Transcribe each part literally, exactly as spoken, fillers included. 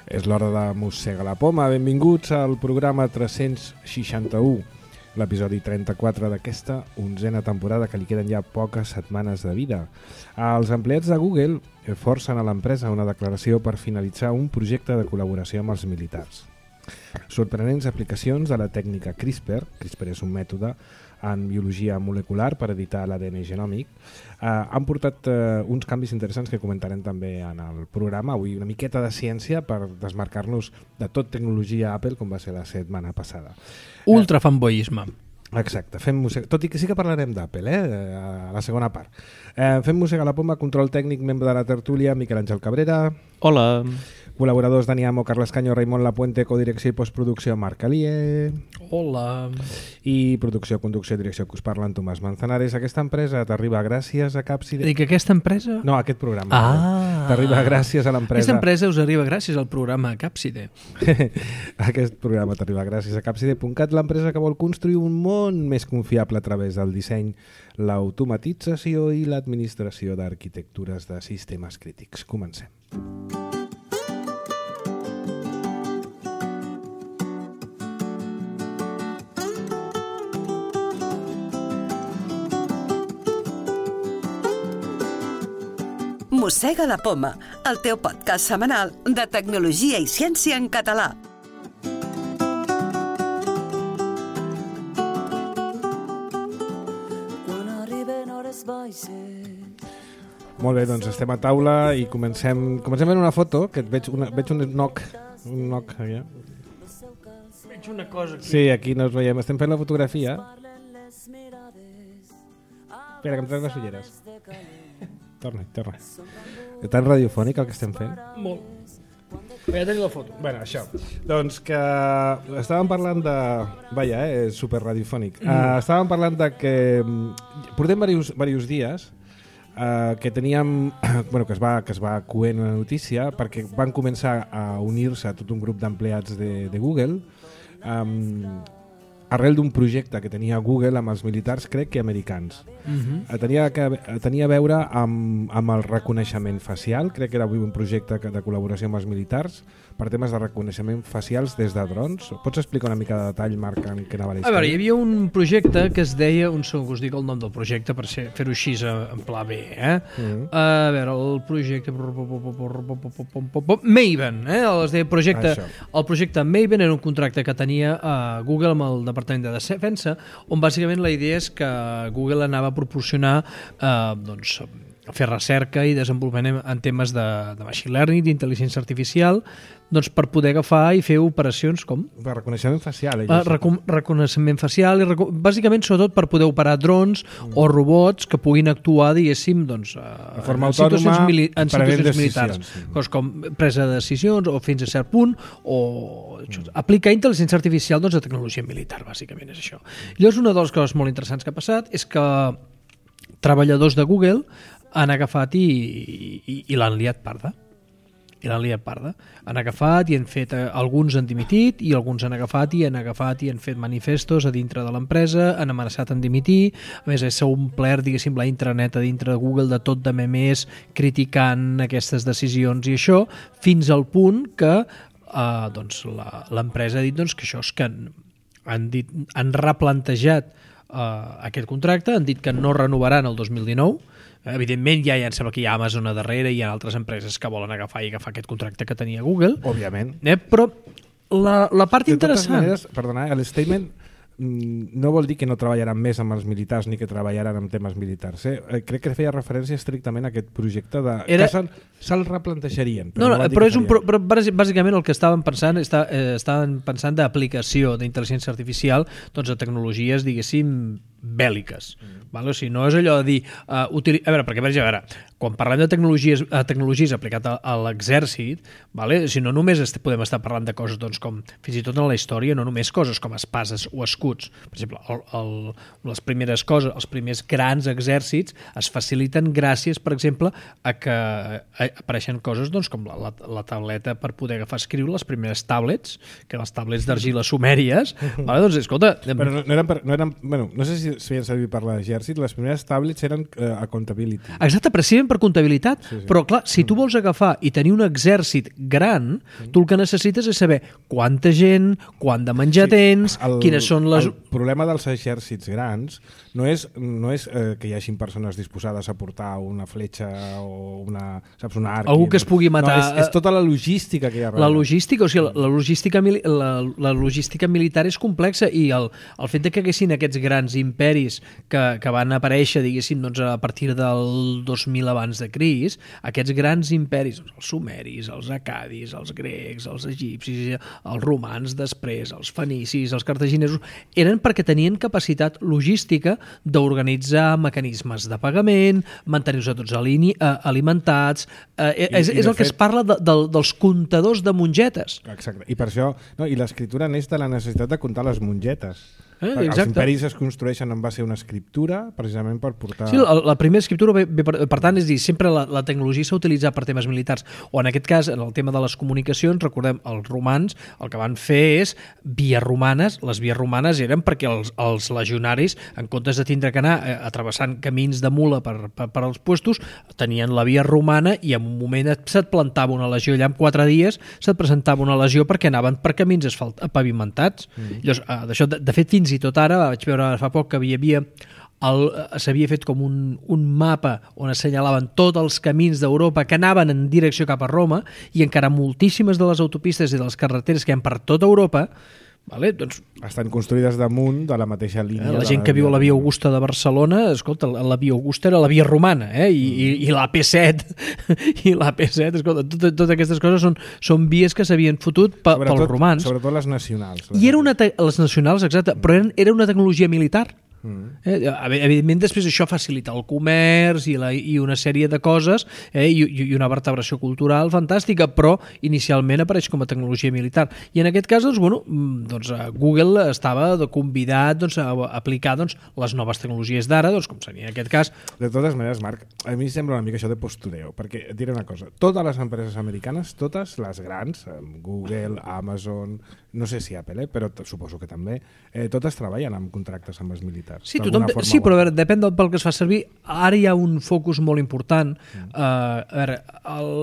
És l'hora de Mossega la Poma. Benvinguts al programa tres-cents seixanta-u, l'episodi trenta-quatre d'aquesta onzena temporada, que li queden ja poques setmanes de vida. Els empleats de Google forcen a l'empresa una declaració per finalitzar un projecte de col·laboració amb els militars. Sorprenents aplicacions de la tècnica CRISPR, CRISPR és un mètode en biologia molecular per editar l'A D N genòmic, eh, han portat eh, uns canvis interessants que comentarem també en el programa. Avui una miqueta de ciència per desmarcar-nos de tot tecnologia Apple, com va ser la setmana passada. Ultra fanboyisme. Exacte, fem mossega, tot i que sí que parlarem d'Apple, eh, a la segona part. Eh, fem Mossega la Poma, control tècnic, membre de la tertúlia, Miquel Àngel Cabrera. Hola. Col·laboradors Dani Amo, Carles Caño, Raimon Lapuente, codirecció i postproducció, Marc Alié. Hola. I producció, conducció i direcció que us parla en Tomàs Manzanares. Aquesta empresa t'arriba gràcies a Capside. Dic, aquesta empresa? No, aquest programa. Ah. T'arriba gràcies a l'empresa. Aquesta empresa us arriba gràcies al programa Capside. Aquest programa t'arriba gràcies a Capside punt cat, l'empresa que vol construir un món més confiable a través del disseny, l'automatització i l'administració d'arquitectures de sistemes crítics. Comencem. Mossega la Poma, el teu podcast setmanal de tecnologia i ciència en català. Molt bé, doncs estem a taula i comencem comencem en una foto, que veig, una, veig un knock, un knock allà. Veig una cosa aquí. Sí, aquí no us veiem, estem fent la fotografia. Espera, que em trec les ulleres. Torna, torna. És tan radiofònic el que estem fent? Molt. Ja tenim la foto. Bueno, això. Doncs que estàvem parlant de... Vaja, eh, és super radiofònic. Mm. Uh, estàvem parlant de que... Portem diversos, diversos dies uh, que teníem... bueno, que es va, que es va coent una notícia perquè van començar a unir-se tot un grup d'empleats de, de Google um, arrel d'un projecte que tenia Google amb els militars, crec que americans. Uh-huh. Tenia, que, tenia a veure amb, amb el reconeixement facial, crec que era un projecte de col·laboració amb els militars per temes de reconeixement facials des de drons. Pots explicar una mica de detall, Marc, en què anava la història? A veure, hi havia un projecte que es deia, un segon que us dic el nom del projecte per ser, fer-ho així en pla B, eh? Uh-huh. A veure, el projecte Maven, eh? Es deia projecte, el projecte Maven era un contracte que tenia a Google amb el Departament de Defensa, on bàsicament la idea és que Google anava a proporcionar eh, doncs, fer recerca i desenvolupament en temes de, de machine learning, d'intel·ligència artificial, doncs per poder agafar i fer operacions com? De reconeixement facial. Uh, recon reconeixement facial, i reco bàsicament sobretot per poder operar drons mm. o robots que puguin actuar, diguéssim, doncs, uh, de forma en situacions, mili en situacions militars. Sí. Cos com presa de decisions o fins a cert punt, o mm. aplicar intel·ligència artificial doncs, a tecnologia militar, bàsicament és això. Llavors, una de les coses molt interessants que ha passat és que treballadors de Google han agafat i, i, i l'han liat parda. I l'han liat parda. Han agafat i han fet, eh, alguns han dimitit i alguns han agafat i han agafat i han fet manifestos a dintre de l'empresa, han amenaçat en dimitir. A més, s'ha omplert, diguéssim, la intranet a dintre de Google de tot de memers criticant aquestes decisions i això, fins al punt que eh, doncs, l'empresa ha dit doncs, que això és que han, han, dit, han replantejat Uh, aquest contracte, han dit que no renovaran el dos mil dinou. Evidentment ja, ja em sembla que hi ha Amazon a darrere i hi ha altres empreses que volen agafar i agafar aquest contracte que tenia Google. Òbviament. Eh, però la, la part de interessant... Maneres, perdona, el statement no vol dir que no treballaran més amb els militars ni que treballaran amb temes militars. Eh? Crec que feia referència estrictament a aquest projecte de... Era... que se'l replantejarien. Però no, no, no però, és un, però bàsicament el que estaven pensant està, eh, estaven pensant d'aplicació d'intel·ligència artificial doncs, a tecnologies, diguéssim, bèl·liques. Mm. Vale? O sigui, no és allò de dir... Uh, utili... A veure, perquè a veure, quan parlem de tecnologies, uh, tecnologies aplicat a, a l'exèrcit, vale? O sigui, no només est podem estar parlant de coses doncs, com, fins i tot en la història, no només coses com espases o escuts. Per exemple, el, el, les primeres coses, els primers grans exèrcits es faciliten gràcies, per exemple, a que a, apareixen coses doncs, com la, la, la tauleta per poder agafar escriure, les primeres tablets, que les tablets d'argila sumèries, vale? Doncs escolta... Però no, no eren... Per, no, eren bueno, no sé si es feien servir per l'exèrcit, les primeres tablets eren uh, accountability. Exacte, precisament per comptabilitat. Sí, sí. Però, clar, si tu vols agafar i tenir un exèrcit gran, mm. tu el que necessites és saber quanta gent, quant de menjar sí, tens, el, quines són les... El problema dels exèrcits grans no és, no és eh, que hi hagin persones disposades a portar una fletxa o una, saps, una arc... Algú que es pugui matar... No, és, és tota la logística que hi ha darrere. La logística, o sigui, la, la, logística, la, la logística militar és complexa i el, el fet de que haguessin aquests grans imperis que, que van aparèixer, diguéssim, doncs, a partir del dos mil abans de Crist, aquests grans imperis, doncs, els sumeris, els acadis, els grecs, els egipcis, els romans després, els fenicis, els cartaginesos, eren perquè tenien capacitat logística d'organitzar mecanismes de pagament, mantenir-se tots alini, eh, alimentats... Eh, I, és i és el fet... que es parla de, de, dels comptadors de mongetes. Exacte, i per això... No, i l'escriptura neix de la necessitat de comptar les mongetes. Eh, els imperis es construeixen en base a una escriptura precisament per portar... Sí, la, la primera escriptura ve, ve per, per tant, és dir, sempre la, la tecnologia s'ha utilitzat per temes militars, o en aquest cas, en el tema de les comunicacions, recordem, els romans el que van fer és vies romanes. Les vies romanes eren perquè els, els legionaris, en comptes de tindre que anar eh, atrevessant camins de mula per, per, per als puestos, tenien la via romana i en un moment se't plantava una legió allà en quatre dies, se't presentava una legió perquè anaven per camins asfalt, pavimentats. Mm. Llavors, eh, d'això, de, de fet, fins i tot ara, vaig veure fa poc que hi havia s'havia fet com un, un mapa on assenyalaven tots els camins d'Europa que anaven en direcció cap a Roma i encara moltíssimes de les autopistes i de les carreteres que hi ha per tota Europa, vale, doncs, estan construïdes damunt de la mateixa línia. La gent que viu a la Via Augusta de Barcelona, escolta, la Via Augusta era la Via Romana, eh? I, mm. i, i la P set, i la P set, escolta, totes, totes aquestes coses són, són vies que s'havien fotut pe, pels romans. Sobretot les nacionals. Les I era una te- les nacionals, exacte, mm. però eren, era una tecnologia militar. Mm. Eh, evidentment després això facilita el comerç i, la, i una sèrie de coses eh, i, i una vertebració cultural fantàstica, però inicialment apareix com a tecnologia militar i en aquest cas doncs, bueno, doncs, Google estava convidat doncs, a aplicar doncs, les noves tecnologies d'ara, doncs, com seria en aquest cas. De totes maneres, Marc, a mi sembla una mica això de postureo, perquè et diré una cosa, totes les empreses americanes, totes les grans, Google, Amazon, no sé si Apple, eh, però suposo que també, eh, totes treballen amb contractes amb els militars. Sí, tothom, sí, però a veure, depèn del pel que es fa servir. Ara hi ha un focus molt important. Mm. Uh, a veure, el,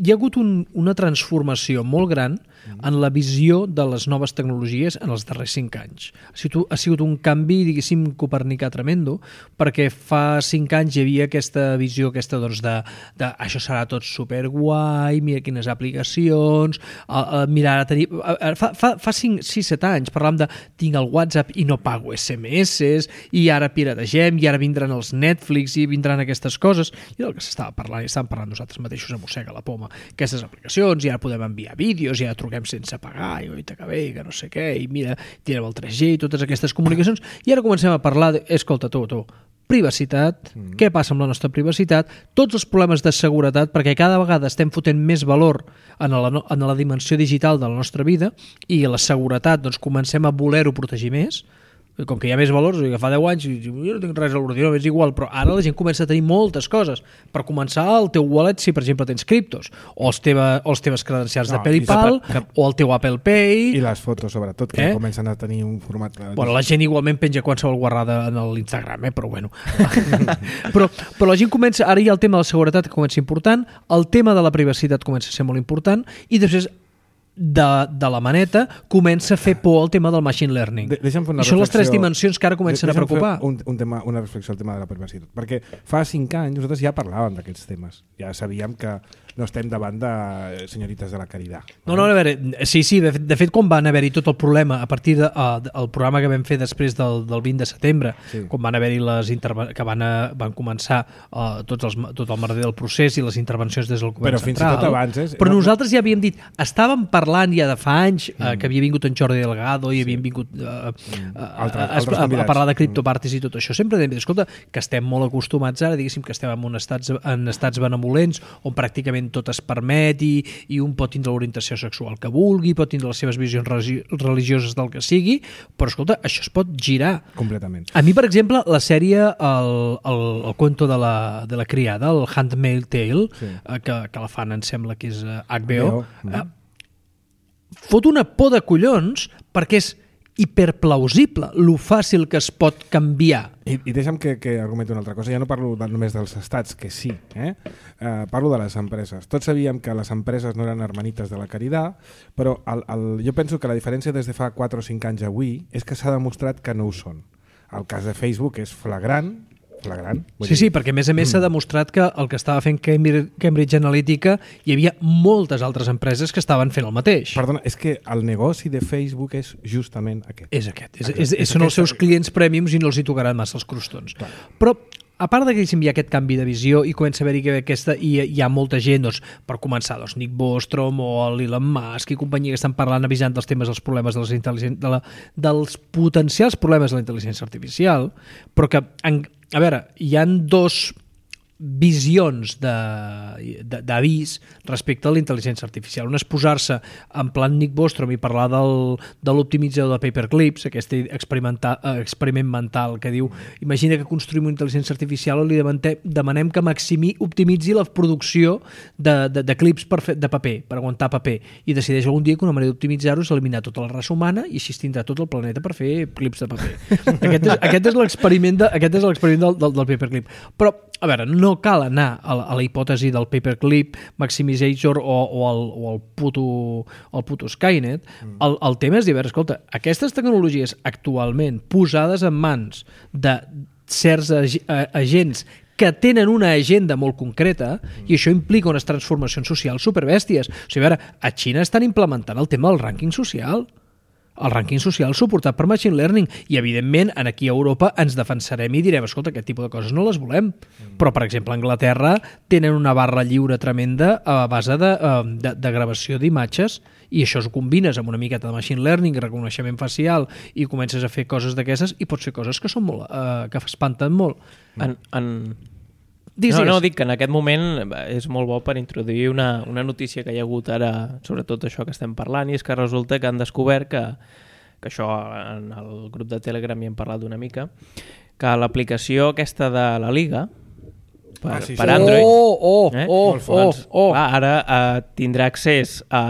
hi ha hagut un, una transformació molt gran mm. en la visió de les noves tecnologies en els darrers cinc anys. Ha sigut, ha sigut un canvi, diguéssim, copernicà tremendo, perquè fa cinc anys hi havia aquesta visió aquesta, doncs, de, de això serà tot superguai, mira quines aplicacions, uh, uh, mira, ara tenir, uh, fa, fa, fa cinc, sis, set anys parlàvem de tinc el WhatsApp i no pago esse eme esse i ara pirategem i ara vindran els Netflix i vindran aquestes coses, i del que s'estava parlant i estàvem parlant nosaltres mateixos a mossega la poma, aquestes aplicacions, i ara podem enviar vídeos, i ara truquem sense pagar, i oita que bé, que no sé què, i mira, tirem el tres G i totes aquestes comunicacions, i ara comencem a parlar de, escolta, tu, tu, privacitat, mm. què passa amb la nostra privacitat, tots els problemes de seguretat, perquè cada vegada estem fotent més valor en la, en la dimensió digital de la nostra vida, i la seguretat, doncs, comencem a voler-ho protegir més, com que hi ha més valors, que fa deu anys jo no tinc res a l'ordinador, és igual, però ara la gent comença a tenir moltes coses. Per començar, el teu wallet, si per exemple tens criptos, o els, teva, o els teves credencials no, de PayPal, que... o el teu Apple Pay... I les fotos, sobretot, que eh? comencen a tenir un format... Bueno, la gent igualment penja qualsevol guarrada en l'Instagram, eh? Però bueno. però, però la gent comença... Ara hi ha el tema de la seguretat que comença important, el tema de la privacitat comença a ser molt important, i després de, de la maneta comença a fer por al tema del machine learning. De, I són les tres dimensions que ara comencen a preocupar. Un, un tema, una reflexió al tema de la privacitat. Perquè fa cinc anys nosaltres ja parlàvem d'aquests temes. Ja sabíem que no estem davant de senyorites de la caritat. No, no, a veure, sí, sí, de fet, de fet quan van haver-hi tot el problema a partir del de, uh, programa que vam fer després del, del vint de setembre, sí. quan van haver-hi les interve- que van, a, van començar uh, tots els, tot el merder del procés i les intervencions des del govern però central. Fins i tot abans, eh? Però no, nosaltres ja havíem dit, estàvem parlant ja de fa anys uh, mm. que havia vingut en Jordi Delgado i sí. havien vingut uh, mm. uh, altres, a, altres a, a parlar de criptopartis mm. i tot això. Sempre hem dit, escolta, que estem molt acostumats ara, diguéssim que estem en, un estats, en estats benemolents on pràcticament tot es permet i, i un pot tindre l'orientació sexual que vulgui, pot tindre les seves visions religioses del que sigui, però escolta, això es pot girar. Completament. A mi, per exemple, la sèrie El, el, el cuento de la, de la criada, el Handmaid's Tale, sí. eh, que, que la fan, em sembla que és eh, H B O, mm. eh, fot una por de collons perquè és hiperplausible lo fàcil que es pot canviar. I, i deixa'm que, que argumenti una altra cosa. Ja no parlo de, només dels estats, que sí, eh? Uh, parlo de les empreses. Tots sabíem que les empreses no eren hermanites de la caritat, però el, el, jo penso que la diferència des de fa quatre o cinc anys avui és que s'ha demostrat que no ho són. El cas de Facebook és flagrant, flagrant. Sí, sí, perquè a més a més s'ha demostrat que el que estava fent Cambridge Analytica hi havia moltes altres empreses que estaven fent el mateix. Perdona, és que el negoci de Facebook és justament aquest. És aquest. És, és, és, són els seus clients prèmiums i no els hi tocaran massa els crostons. Clar. Però a part de que hi ha aquest canvi de visió i comença a haver-hi que aquesta, i hi ha molta gent, doncs, per començar, doncs, Nick Bostrom o l'Elon Musk i companyia que estan parlant, avisant dels temes dels problemes de les de la, dels potencials problemes de la intel·ligència artificial, però que, en, a veure, hi han dos visions d'avís respecte a la intel·ligència artificial. Una és posar-se en plan Nick Bostrom i parlar del, de l'optimitzador de paperclips, aquest experiment mental que diu, imagina que construïm una intel·ligència artificial i li demanem que maximi, optimitzi la producció de, de, de clips per fer, de paper, per aguantar paper, i decideix algun dia que una manera d'optimitzar-ho és eliminar tota la raça humana i així tindrà tot el planeta per fer clips de paper. Aquest és, aquest és l'experiment de, aquest és l'experiment del, del, del paperclip. Però, a veure, no No cal anar a la, a la hipòtesi del paperclip, maximizator o, o, el, o el, puto, el puto Skynet. Mm. El, el tema és dir, a veure, escolta, aquestes tecnologies actualment posades en mans de certs ag agents que tenen una agenda molt concreta mm. i això implica unes transformacions socials superbèsties. O sigui, a veure, a Xina estan implementant el tema del rànquing social. El rànquing social suportat per Machine Learning i, evidentment, aquí a Europa ens defensarem i direm, escolta, aquest tipus de coses no les volem. Mm. Però, per exemple, a Anglaterra tenen una barra lliure tremenda a base de, de, de gravació d'imatges i això ho combines amb una miqueta de Machine Learning i reconeixement facial i comences a fer coses d'aquestes i pots fer coses que són molt, eh, que espanten molt. En... en... Digues, no, digues. no, dic que en aquest moment és molt bo per introduir una, una notícia que hi ha hagut ara, sobretot això que estem parlant, i és que resulta que han descobert que, que això en el grup de Telegram hi hem parlat una mica, que l'aplicació aquesta de la Liga per, ah, sí, sí. per Android oh, oh, eh? oh, doncs, oh, oh. clar, ara eh, tindrà accés a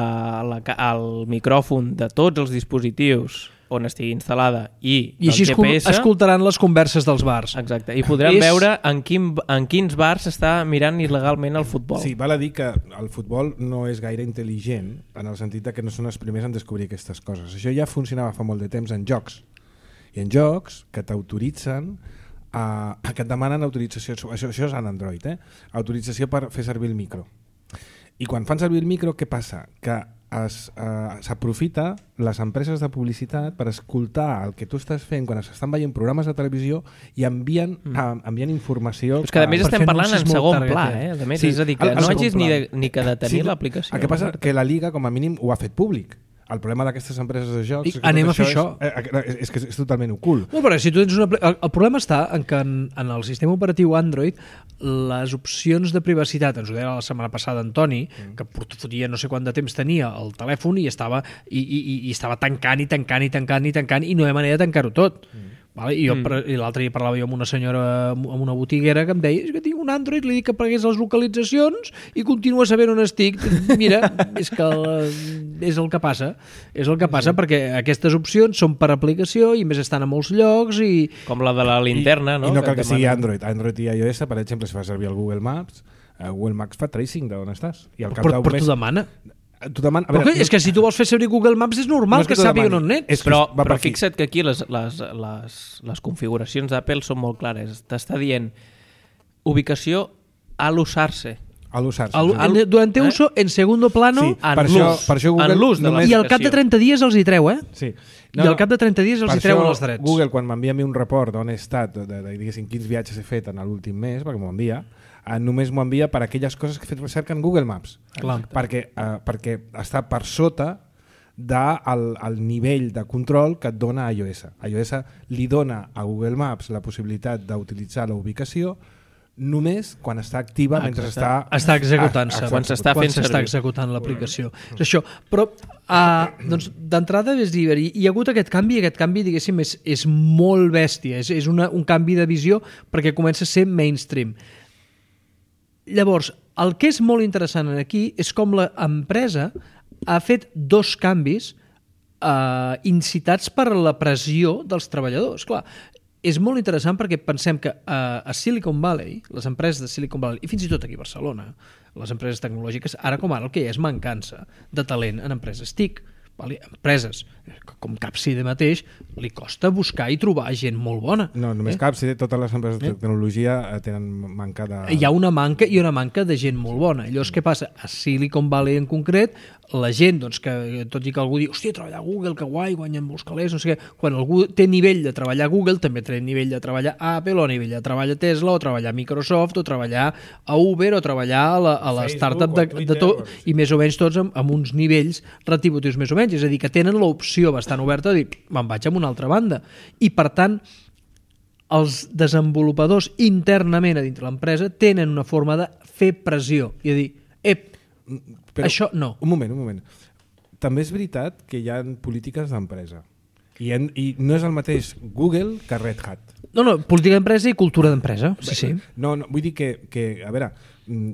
la, al micròfon de tots els dispositius on estigui instal·lada i, I així G P S, escoltaran les converses dels bars. Exacte, i podran és... veure en, quin, en quins bars s'està mirant il·legalment el futbol. Sí, val a dir que el futbol no és gaire intel·ligent en el sentit que no són els primers en descobrir aquestes coses. Això ja funcionava fa molt de temps en jocs. I en jocs que t'autoritzen a, que et demanen autorització, això, això és en Android, eh? Autorització per fer servir el micro. I quan fan servir el micro, què passa? Que s'aprofita uh, les empreses de publicitat per escoltar el que tu estàs fent quan s'estan veient programes de televisió i envien, mm. uh, envien informació. Però és que a més per estem parlant en segon target, pla, eh? A més, sí, és a dir, que el, el no hagis ni, de, ni que de tenir sí, l'aplicació. El que passa és que la Liga, com a mínim, ho ha fet públic. El problema d'aquestes empreses de jocs... I anem a fer això. És, eh, és, és que és totalment ocult. No, però si tu tens una... el, el problema està en que en, en el sistema operatiu Android les opcions de privacitat, ens ho deia la setmana passada Antoni, mm. que fotia no sé quant de temps tenia el telèfon i estava, i, i, i estava tancant i tancant i tancant i tancant i no hi ha manera de tancar-ho tot. Mm. Vale? I, mm. i l'altre dia parlava jo amb una senyora, amb una botiguera que em deia, és que tinc un Android, li dic que apagués les localitzacions i continua sabent on estic. Mira, és que és el que passa. És el que passa sí. perquè aquestes opcions són per aplicació i més estan a molts llocs i... Com la de la linterna, I, no? I no cal que, que, que sigui Android. Android i iOS, per exemple, si fa servir el Google Maps, uh, Google Maps fa tracing d'on estàs. I al cap però però mes... t'ho demana. Demana, però veure, que, és que si tu vols fer servir Google Maps és normal no és que, que sàpiga on ets. És però però fixa't que aquí les, les, les, les configuracions d'Apple són molt clares. T'està dient ubicació al usar-se. Al usar-se. Al, al, durante eh? uso en segundo plano sí, per això, per això Google en l'ús de i al cap de trenta dies els hi treu, eh? Sí. No, I al cap de trenta dies els hi treuen els drets. Google, quan m'envia a mi un report d'on he estat, de, de, de, diguéssim, quins viatges he fet en l'últim mes, perquè m'ho envia, eh, només m'ho envia per aquelles coses que he fet recerca en Google Maps. Clar. Perquè, eh, perquè està per sota del el nivell de control que et dona iOS. iOS li dona a Google Maps la possibilitat d'utilitzar la ubicació només quan està activa, mentre està... Està executant-se. Quan s'està fent servir. Quan s'està executant l'aplicació. És això. Però, uh, doncs, d'entrada, és dir, hi ha hagut aquest canvi, i aquest canvi, diguéssim, és, és molt bèstia. És, és una, un canvi de visió perquè comença a ser mainstream. Llavors, el que és molt interessant aquí és com l'empresa ha fet dos canvis uh, incitats per la pressió dels treballadors. Clar, és molt interessant perquè pensem que uh, a Silicon Valley, les empreses de Silicon Valley, i fins i tot aquí a Barcelona, les empreses tecnològiques, ara com ara el que hi ha és mancança de talent en empreses TIC. Vale? Empreses, com Capside mateix, li costa buscar i trobar gent molt bona. No, només eh? Capside, totes les empreses de tecnologia tenen manca de... Hi ha una manca i una manca de gent molt bona. Llavors, què passa? A Silicon Valley en concret, la gent, doncs, que tot i que algú diu, hòstia, treballar a Google, que guai, guanyen molts calés, no sé què, quan algú té nivell de treballar a Google, també té nivell de treballar a Apple, o nivell de treballar a Tesla, o treballar a Microsoft, o treballar a Uber, o treballar a la, a la startup de, de tot, i més o menys tots amb, amb uns nivells retributius més o menys. És a dir, que tenen l'opció bastant oberta de dir, me'n vaig a una altra banda. I, per tant, els desenvolupadors internament a dintre l'empresa tenen una forma de fer pressió i de dir, ep, però, això no. Un moment, un moment. També és veritat que hi ha polítiques d'empresa. I, en, I no és el mateix Google que Red Hat. No, no, política d'empresa i cultura d'empresa. Sí, sí. No, no, vull dir que, que a veure,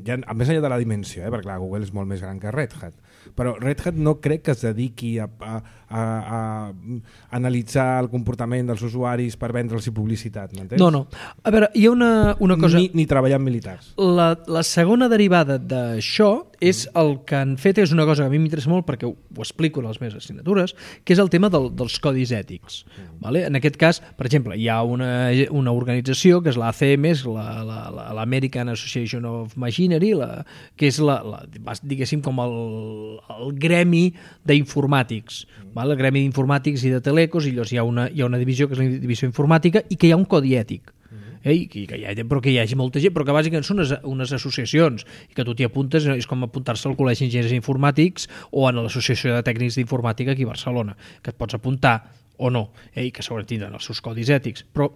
ja, més enllà de la dimensió, eh, perquè clar, Google és molt més gran que Red Hat, però Red Hat no crec que es dediqui a, a, a, a analitzar el comportament dels usuaris per vendre'ls publicitat, m'entens? No, no. A veure, hi ha una, una cosa... Ni, ni treballar amb militars. La, la segona derivada d'això és el que han fet, és una cosa que a mi m'interessa molt perquè ho, ho explico en les meves assignatures, que és el tema del, dels codis ètics. Mm. Vale? En aquest cas, per exemple, hi ha una, una organització que és l'A C M, l'American Association of Machinery, la, que és la, la, diguéssim com el, el gremi d'informàtics, mm. vale? El gremi d'informàtics i de telecos, i llavors hi ha, una, hi ha una divisió que és la divisió informàtica i que hi ha un codi ètic. Eh, que, que hi ha, però que hi hagi molta gent, però que bàsicament són unes, unes associacions i que tu t'hi apuntes, és com apuntar-se al Col·legi d'Enginyers Informàtics o a l'Associació de Tècnics d'Informàtica aquí a Barcelona, que et pots apuntar o no, eh, i que segurament tindran els seus codis ètics. Però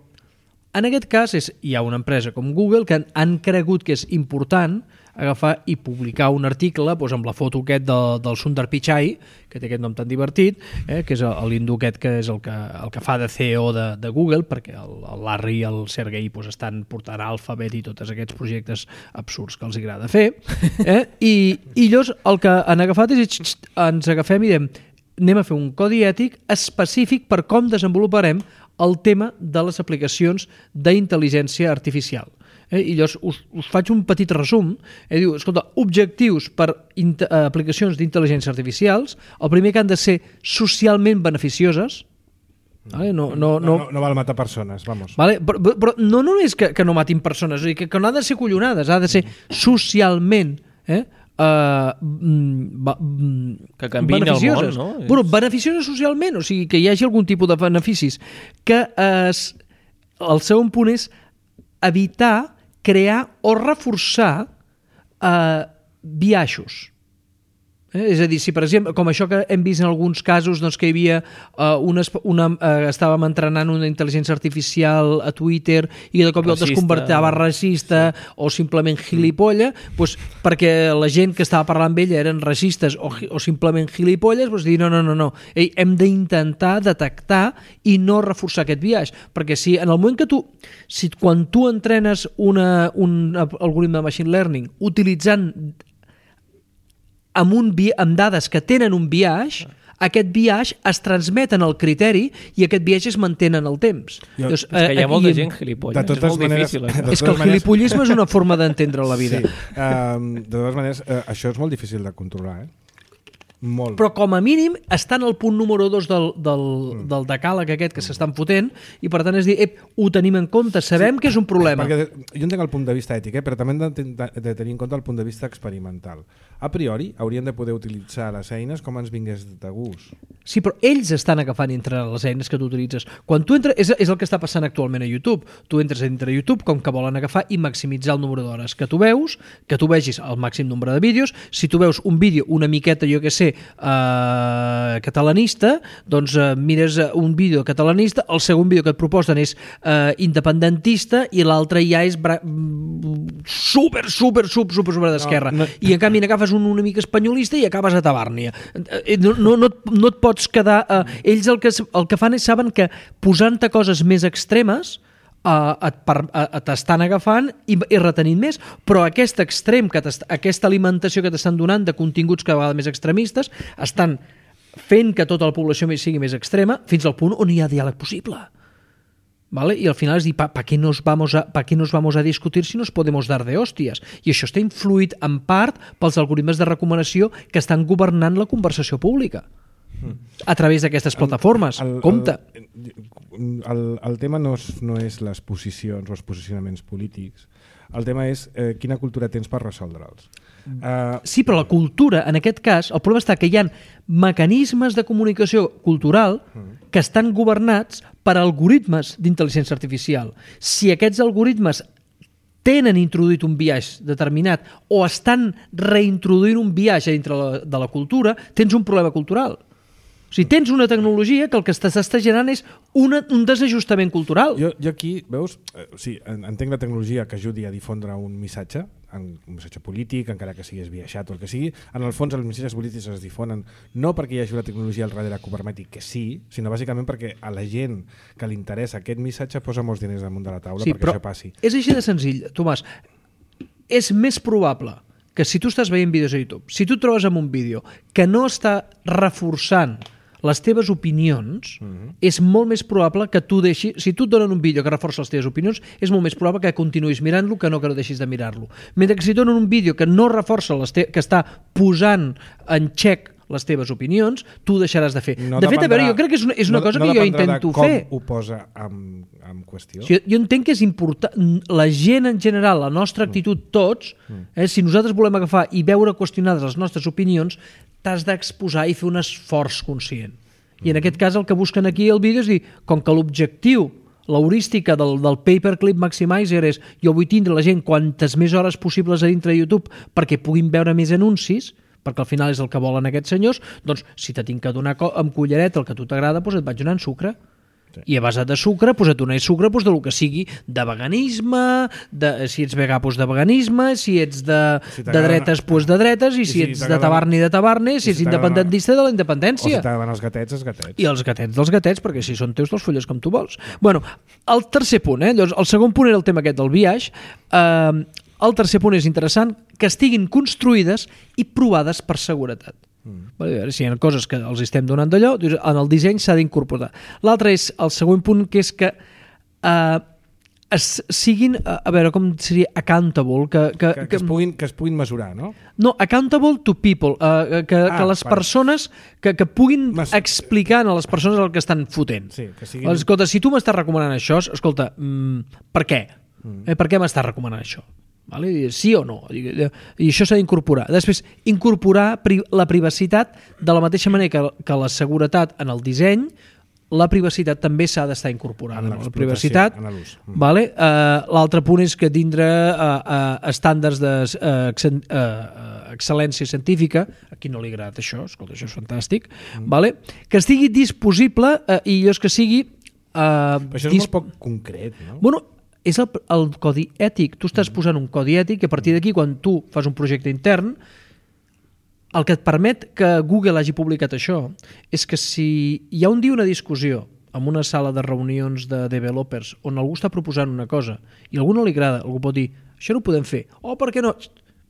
en aquest cas és, hi ha una empresa com Google que han, han cregut que és important agafar i publicar un article doncs, amb la foto aquest de, del Sundar Pichai, que té aquest nom tan divertit, eh, que és l'hindú aquest que és el que, el que fa de C E O de, de Google, perquè el, el Larry i el Sergey doncs, estan portant Alphabet i tots aquests projectes absurds que els agrada fer. Eh? I, I llavors el que han agafat és ens agafem i diem anem a fer un codi ètic específic per com desenvoluparem el tema de les aplicacions d'intel·ligència artificial. Eh, i llavors us, us faig un petit resum. Eh, diu, escolta, objectius per aplicacions d'intel·ligència artificials, el primer que han de ser socialment beneficioses. Vale? No, no, no, no, no, no val matar persones, vamos. Vale? Però, però no només que, que no matin persones, o sigui, que, que no ha de ser collonades, ha de ser socialment eh, uh, ba, que canviïn el món, no? Bueno, beneficioses socialment, o sigui, que hi hagi algun tipus de beneficis. Que es, el segon punt és evitar crear o reforçar eh, biaixos. Eh? És a dir, si per exemple, com això que hem vist en alguns casos, doncs que hi havia uh, una, una, uh, estàvem entrenant una intel·ligència artificial a Twitter i de cop i volta es convertava racista sí. o simplement gilipolla, doncs, perquè la gent que estava parlant amb ella eren racistes o, o simplement gilipolles, doncs dir no, no, no, no. Ei, hem d'intentar detectar i no reforçar aquest biaix, perquè si en el moment que tu, si quan tu entrenes una, un algoritme de machine learning utilitzant amb, un, amb dades que tenen un biaix, aquest biaix es transmet en el criteri i aquest biaix es mantén en el temps. Jo, Llavors, és que hi ha molta gent gilipolles, és molt maneres, difícil. Eh? És que el gilipollisme és una forma d'entendre la vida. Sí. Um, de totes maneres, uh, això és molt difícil de controlar, eh? Molt. Però com a mínim està en el punt número dos del, del, mm. del decàleg aquest que mm. s'estan fotent i per tant és dir, ep, ho tenim en compte, sabem sí, que és un problema. Perquè jo entenc el punt de vista ètic, eh, però també hem de, de, de tenir en compte el punt de vista experimental. A priori haurien de poder utilitzar les eines com ens vingués de gust. Sí, però ells estan agafant entre les eines que tu utilitzes. Quan tu entres, és, és el que està passant actualment a YouTube. Tu entres a dintre de YouTube com que volen agafar i maximitzar el número d'hores que tu veus, que tu vegis el màxim nombre de vídeos. Si tu veus un vídeo una miqueta, jo que sé, Uh, catalanista, doncs uh, mires un vídeo catalanista, el segon vídeo que et proposen és uh, independentista i l'altre ja és bra... super, super, super, super, super d'esquerra. No, no. I en canvi n'agafes un una mica espanyolista i acabes a Tabàrnia. No, no, no, no et pots quedar... Uh, ells el que, el que fan és saben que posant-te coses més extremes Uh, et, per, uh, t'estan agafant i, i retenint més, però aquest extrem, que aquesta alimentació que t'estan donant de continguts cada vegada més extremistes, estan fent que tota la població sigui més extrema, fins al punt on hi ha diàleg possible. ¿Vale? Y al final es dir, ¿para pa qué nos vamos a, pa qué nos vamos a discutir si nos podemos dar de hòsties? I això està influït en part pels algoritmes de recomanació que estan governant la conversació pública a través d'aquestes plataformes. El, el, Compte. El, el, el tema no és, no és les posicions o els posicionaments polítics. El tema és eh, quina cultura tens per resoldre'ls. Uh, Sí, però la cultura, en aquest cas, el problema està que hi ha mecanismes de comunicació cultural que estan governats per algoritmes d'intel·ligència artificial. Si aquests algoritmes tenen introduït un biaix determinat o estan reintroduint un biaix dintre la, de la cultura, tens un problema cultural. O sigui, tens una tecnologia que el que s'està generant és una, un desajustament cultural. jo, jo aquí, veus, eh, sí, entenc la tecnologia que ajudi a difondre un missatge, un missatge polític, encara que sigui esbiaixat o el que sigui. En el fons, els missatges polítics es difonen no perquè hi hagi una tecnologia al darrere que ho permeti, que sí, sinó bàsicament perquè a la gent que li interessa aquest missatge posa molts diners damunt de la taula Sí, perquè però això passi. és així de senzill, Tomàs. És més probable que si tu estàs veient vídeos a YouTube, si tu et trobes amb un vídeo que no està reforçant les teves opinions, mm-hmm. és molt més probable que tu deixis... Si tu et donen un vídeo que reforça les teves opinions, és molt més probable que continuïs mirant-lo que no que no deixis de mirar-lo. Mentre que si et donen un vídeo que no reforça, les te... que està posant en xec les teves opinions, tu deixaràs de fer. No de fet, a veure, dependrà- jo crec que és una, és una no, cosa no que jo dependrà intento de com fer. ho posa en, en qüestió. Jo, jo entenc que és important, la gent en general, la nostra actitud, tots, eh, si nosaltres volem agafar i veure qüestionades les nostres opinions, t'has d'exposar i fer un esforç conscient. I en aquest cas el que busquen aquí al vídeo és dir, com que l'objectiu, l'heurística del, del paperclip maximizer és jo vull tindre la gent quantes més hores possibles a dintre de YouTube perquè puguin veure més anuncis, perquè al final és el que volen aquests senyors, doncs si te tinc que donar amb cullereta el que a tu t'agrada, doncs et vaig donant sucre. Sí. I a base de sucre, doncs et donaré sucre doncs, del que sigui de veganisme, de, si ets vegà, doncs de veganisme, si ets de, si de dretes, doncs de dretes, i, i si, si ets de tabarni, de tabarni, si, si ets independentista, de la independència. O si t'agraden els gatets, els gatets. I els gatets dels gatets, perquè si són teus, te'ls folles com tu vols. Bueno, el tercer punt, eh? Llavors, el segon punt era el tema aquest del biaix. Eh, el tercer punt és interessant, que estiguin construïdes i provades per seguretat. Mm. A veure, si hi ha coses que els estem donant d'allò, en el disseny s'ha d'incorporar. L'altre és el següent punt, que és que eh, es siguin, a veure, com seria accountable, que, que, que, que, es puguin, que es puguin mesurar, no? No, accountable to people, eh, que, ah, que les vale. persones que, que puguin Mas... explicar a les persones el que estan fotent. Sí, que siguin... Escolta, si tu m'estàs recomanant això, escolta, mm, per què? Mm. Eh, per què m'estàs recomanant això? Vale? Sí o no? I això s'ha d'incorporar. Després, incorporar pri la privacitat de la mateixa manera que, que la seguretat en el disseny, la privacitat també s'ha d'estar incorporada. En la privacitat, en l'ús. Vale? Uh, l'altre punt és que tindre uh, uh, estàndards d'excel·lència uh, uh, científica, a qui no li agrada això, escolta, això és fantàstic, mm. vale? Que estigui disponible uh, i allò és que sigui... Uh, Però això és dis... molt poc concret, no? Bueno, és el, el codi ètic. Tu estàs posant un codi ètic i a partir d'aquí, quan tu fas un projecte intern, el que et permet que Google hagi publicat això és que si hi ha un dia una discussió en una sala de reunions de developers on algú està proposant una cosa i a algú no li agrada, algú pot dir això no ho podem fer, oh, per què no?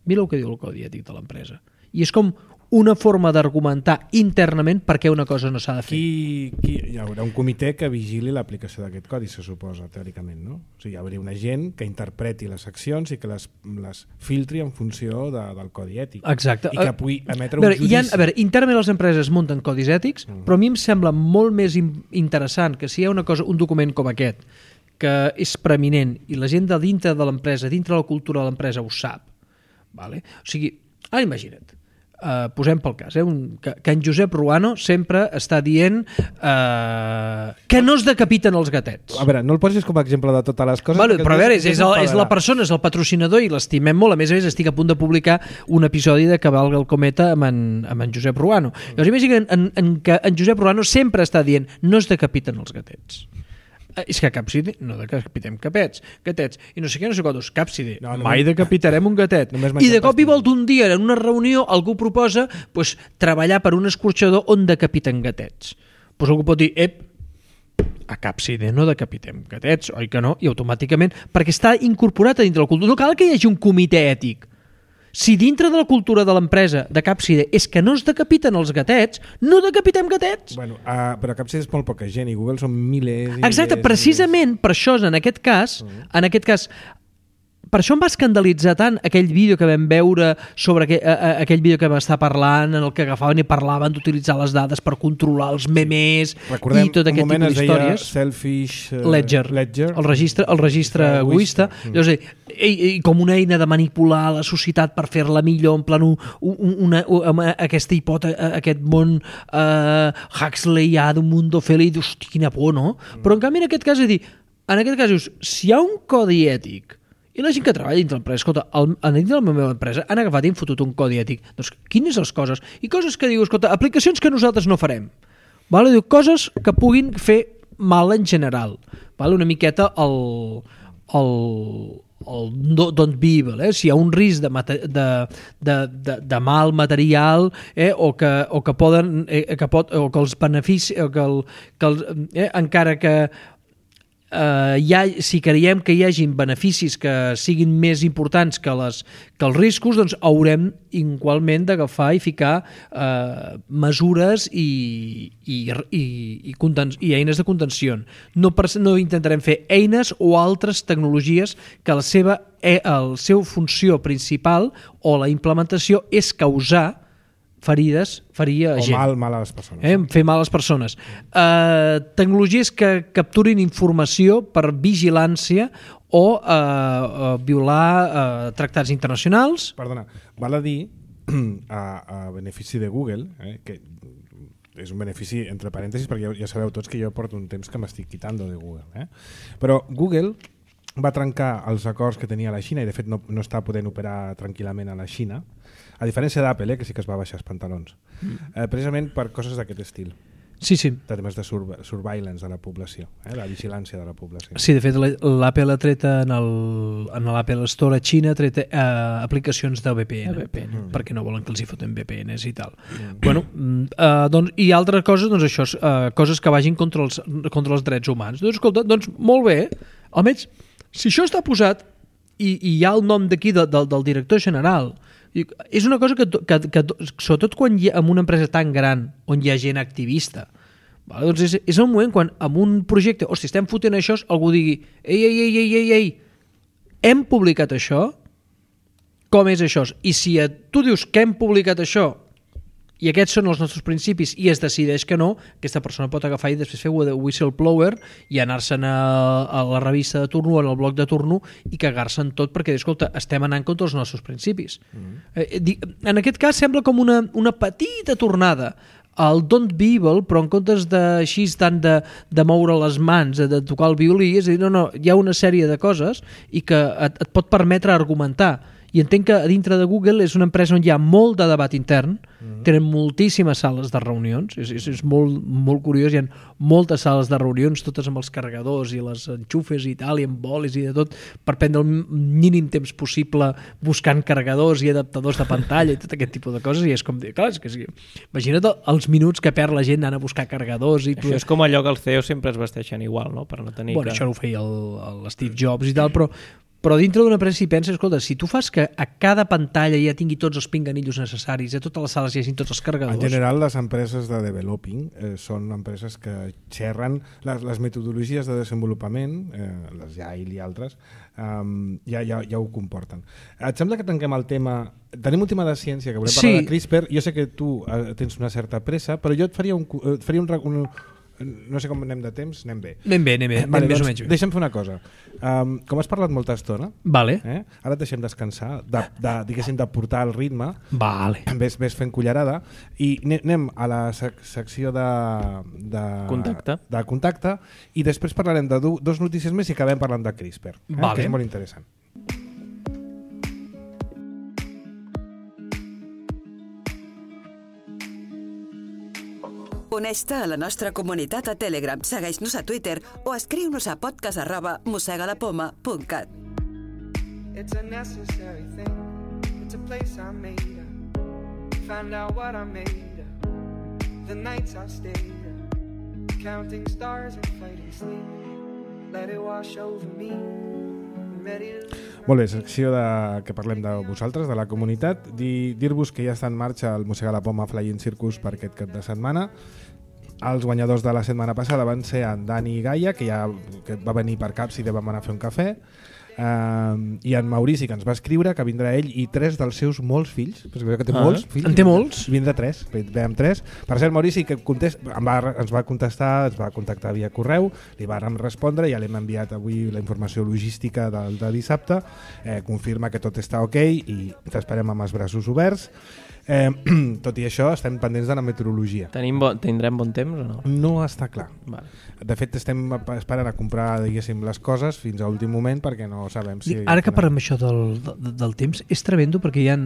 Mira el que diu el codi ètic de l'empresa. I és com una forma d'argumentar internament per què una cosa no s'ha de fer. Qui, qui, hi haurà un comitè que vigili l'aplicació d'aquest codi, se suposa, teòricament, no? O sigui, hi hauria una gent que interpreti les accions i que les, les filtri en funció de, del codi ètic. Exacte. I que pugui emetre a veure, un judici. Ha, a veure, internament les empreses munten codis ètics, mm. però a mi em sembla molt més interessant que si hi ha una cosa, un document com aquest, que és preeminent i la gent de dintre de l'empresa, dintre de la cultura de l'empresa ho sap, vale? O sigui, ara imagina't, Uh, posem pel cas, eh? Un, que, que en Josep Ruano sempre està dient uh, que no es decapiten els gatets. A veure, no el posis com a exemple de totes les coses. Bueno, però a veure, és, és, el, és la persona, és el patrocinador i l'estimem molt. A més a més, estic a punt de publicar un episodi de Cavalga el cometa amb en, amb en Josep Ruano. Llavors imagina en, en, que en Josep Ruano sempre està dient no es decapiten els gatets. És que capside, no decapitem capets, gatets, i no sé què, no sé quantos, capside, no, no, mai decapitarem un gatet. I de cop i volta un dia en una reunió algú proposa pues, treballar per un escorxador on decapiten gatets. Pues algú pot dir, ep, a capside no decapitem gatets, oi que no? I automàticament, perquè està incorporat a dintre la cultura, no cal que hi hagi un comitè ètic, Si dintre de la cultura de l'empresa de Capside és que no es decapiten els gatets, no decapitem gatets. Bueno, uh, però Capside és molt poca gent i Google són milers i Exacte, milers, precisament per això, en aquest cas, uh-huh. en aquest cas, per això em va escandalitzar tant aquell vídeo que vam veure sobre aquell, a, a, aquell vídeo que vam estar parlant, en el que agafaven i parlaven d'utilitzar les dades per controlar els memes Recordem, i tot aquest tipus d'històries. Selfish uh, Ledger, Ledger, el registre, el registre uh, egoista, mm. Llavors, i, i com una eina de manipular la societat per fer-la millor, en plan un, un, una, una, aquesta hipòtesi, aquest món uh, Huxleyà d'un mundo feliç, hosti, quina por, no? Mm. Però en canvi en aquest cas, és dir, en aquest cas dius, si hi ha un codi ètic i la gent que treballa dintre l'empresa, escolta, el, dintre de la meva empresa han agafat i han fotut un codi ètic. Doncs quines les coses? I coses que diu, escolta, aplicacions que nosaltres no farem. Vale? Diu, coses que puguin fer mal en general. Vale? Una miqueta el, el, el don't be evil. Eh? Si hi ha un risc de, de, de, de, de mal material eh? o, que, o que poden eh? que pot, o que els beneficis o que, el, que el, eh? encara que Uh, ha, si creiem que hi hagin beneficis que siguin més importants que, les, que els riscos, doncs haurem igualment d'agafar i ficar uh, mesures i, i, i, i, contens, i eines de contenció. No, per, no intentarem fer eines o altres tecnologies que la seva, el seu funció principal o la implementació és causar ferides, ferir a o gent. mal, mal a les persones. Eh? Fer mal a les persones. Uh, tecnologies que capturin informació per vigilància o uh, uh, violar uh, tractats internacionals. Perdona, val a dir, a, a benefici de Google, eh, que és un benefici entre parèntesis, perquè ja, ja sabeu tots que jo porto un temps que m'estic quitando de Google. Eh? Però Google va trencar els acords que tenia la Xina i de fet no, no està podent operar tranquil·lament a la Xina, a diferència d'Apple, eh, que sí que es va baixar els pantalons, mm. eh, precisament per coses d'aquest estil. Sí, sí. De temes de sur surveillance de la població, eh, la vigilància de la població. Sí, de fet l'Apple ha tret en l'Apple Store a Xina ha tret eh, aplicacions de V P N, V P N mm. perquè no volen que els hi foten V P Ns i tal. Mm. Bueno, eh, doncs, i altres coses, doncs això, eh, coses que vagin contra els, contra els drets humans. Doncs escolta, doncs molt bé, almenys si això està posat i, i hi ha el nom d'aquí de, de, del director general, és una cosa que, que, que sobretot quan hi ha, en una empresa tan gran on hi ha gent activista, vale? Doncs és, és el moment quan en un projecte, hosti, estem fotent això, algú digui, ei, ei, ei, ei, ei, ei, hem publicat això? Com és això? I si tu dius que hem publicat això i aquests són els nostres principis i es decideix que no, aquesta persona pot agafar i després fer whistleblower i anar-se'n a, a la revista de turno o en el bloc de turno i cagar-se'n tot perquè, escolta, estem anant contra els nostres principis. Mm. Eh, en aquest cas sembla com una, una petita tornada al don't be evil, però en comptes de així tant de, de moure les mans, de, de tocar el violí, és a dir, no, no, hi ha una sèrie de coses i que et, et pot permetre argumentar. I entenc que a dintre de Google és una empresa on hi ha molt de debat intern, mm-hmm. tenen moltíssimes sales de reunions, és, és, és molt, molt curiós, hi ha moltes sales de reunions, totes amb els carregadors i les enxufes i tal, i amb bolis i de tot, per prendre el mínim temps possible buscant carregadors i adaptadors de pantalla i tot aquest tipus de coses, i és com dir, clar, és que sí, imagina't els minuts que perd la gent anant a buscar carregadors. I això tu... és com allò que els C E Os sempre es vesteixen igual, no? Per no tenir bueno, que... això ho feia l'Steve Jobs i tal, però Però dintre d'una empresa si penses, escolta, si tu fas que a cada pantalla ja tingui tots els pinganillos necessaris, a totes les sales hi hagin tots els carregadors... En general, les empreses de developing eh, són empreses que xerren les, les metodologies de desenvolupament, eh, les Agile i altres, eh, ja, ja, ja ho comporten. Et sembla que tanquem el tema... Tenim un tema de ciència, que volem sí. parlar de CRISPR. Jo sé que tu eh, tens una certa pressa, però jo et faria un... Et faria un, un no sé com anem de temps, anem bé. Anem bé, anem bé, vale, anem doncs, més o menys bé. Deixa'm fer una cosa. Um, com has parlat molta estona, vale. eh? Ara et deixem descansar, de, de, diguéssim, de portar el ritme, vale. ves, ves fent cullerada, i anem a la sec secció de, de, contacte. de contacte, i després parlarem de do, dos notícies més i acabem parlant de CRISPR, eh? Vale. Que és molt interessant. Uneix-te a la nostra comunitat a Telegram, segueix-nos a Twitter o escriu-nos a podcast arroba mossegalapoma punt cat. It's a necessary thing. It's a place I made up. Find out what I made up. The nights I've stayed up. Counting stars and fighting sleep. Let it wash over me. Molt bé, secció de, que parlem de vosaltres, de la comunitat. Dir, dir-vos que ja està en marxa el Mossegar la Poma Flying Circus per aquest cap de setmana. Els guanyadors de la setmana passada van ser en Dani Gaia, que ja que va venir per Caps i vam anar a fer un cafè, uh, i en Maurici, que ens va escriure que vindrà ell i tres dels seus molts fills, perquè que té ah, molts fills. En té molts? Vindrà tres, ve amb tres. Per cert, Maurici, que contest, va, ens va contestar, ens va contactar via correu, li vàrem respondre, ja l'hem enviat avui la informació logística del, de dissabte, eh, confirma que tot està ok i t'esperem amb els braços oberts. Eh, tot i això, estem pendents de la meteorologia. Tenim bo, tindrem bon temps o no? No està clar. Vale. De fet, estem esperant a comprar, diguéssim, les coses fins a últim moment perquè no sabem si... Ara que parlem això del, del, del temps, és tremendo perquè hi ha,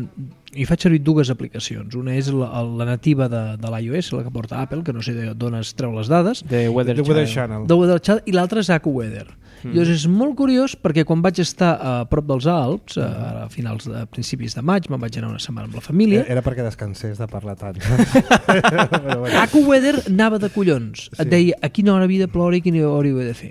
hi faig servir dues aplicacions. Una és la, la nativa de, de l'iOS, la que porta Apple, que no sé d'on es treu les dades. De Weather, The Weather Channel. De Weather Channel, i l'altra és AccuWeather. Mm. Llavors és molt curiós perquè quan vaig estar a prop dels Alps, a, a finals de a principis de maig, me'n vaig anar una setmana amb la família. Era perquè descansés de parlar tant. AccuWeather anava de collons. Et deia a quina hora havia de ploure i a quina hora hi havia de fer.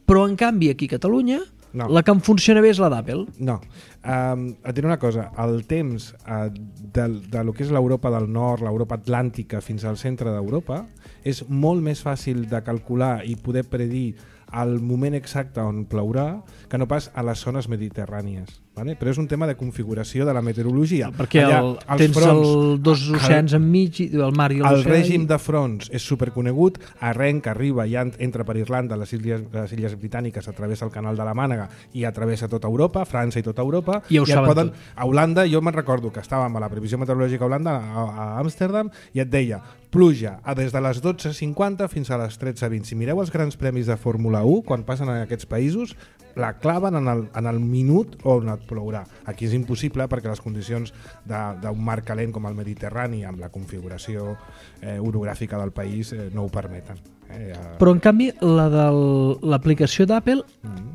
Però en canvi aquí a Catalunya no. La que em funciona bé és la d'Apple. No. Um, et diré una cosa, el temps uh, de, de lo que és l'Europa del Nord, l'Europa Atlàntica fins al centre d'Europa és molt més fàcil de calcular i poder predir al moment exacte on plourà que no pas a les zones mediterrànies. Vale? Però és un tema de configuració de la meteorologia. Perquè el, allà, tens fronts, el, dos oceans el, enmig, el mar i l'oceà. El règim de fronts és superconegut, arrenca, arriba, ja entra per Irlanda, les illes, les illes britàniques, travessa el canal de la Mànega i travessa tota Europa, França i tota Europa. I ho i saben poden, tot. A Holanda, jo me'n recordo que estàvem a la previsió meteorològica a Holanda, a, a Amsterdam, i et deia, pluja a des de les dotze cinquanta fins a les tretze vint. Si mireu els grans premis de Fórmula u, quan passen en aquests països, la claven en el, en el minut on et plourà. Aquí és impossible perquè les condicions d'un mar calent com el Mediterrani, amb la configuració eh, orogràfica del país, eh, no ho permeten. Eh, ja... Però en canvi, la de l'aplicació d'Apple mm.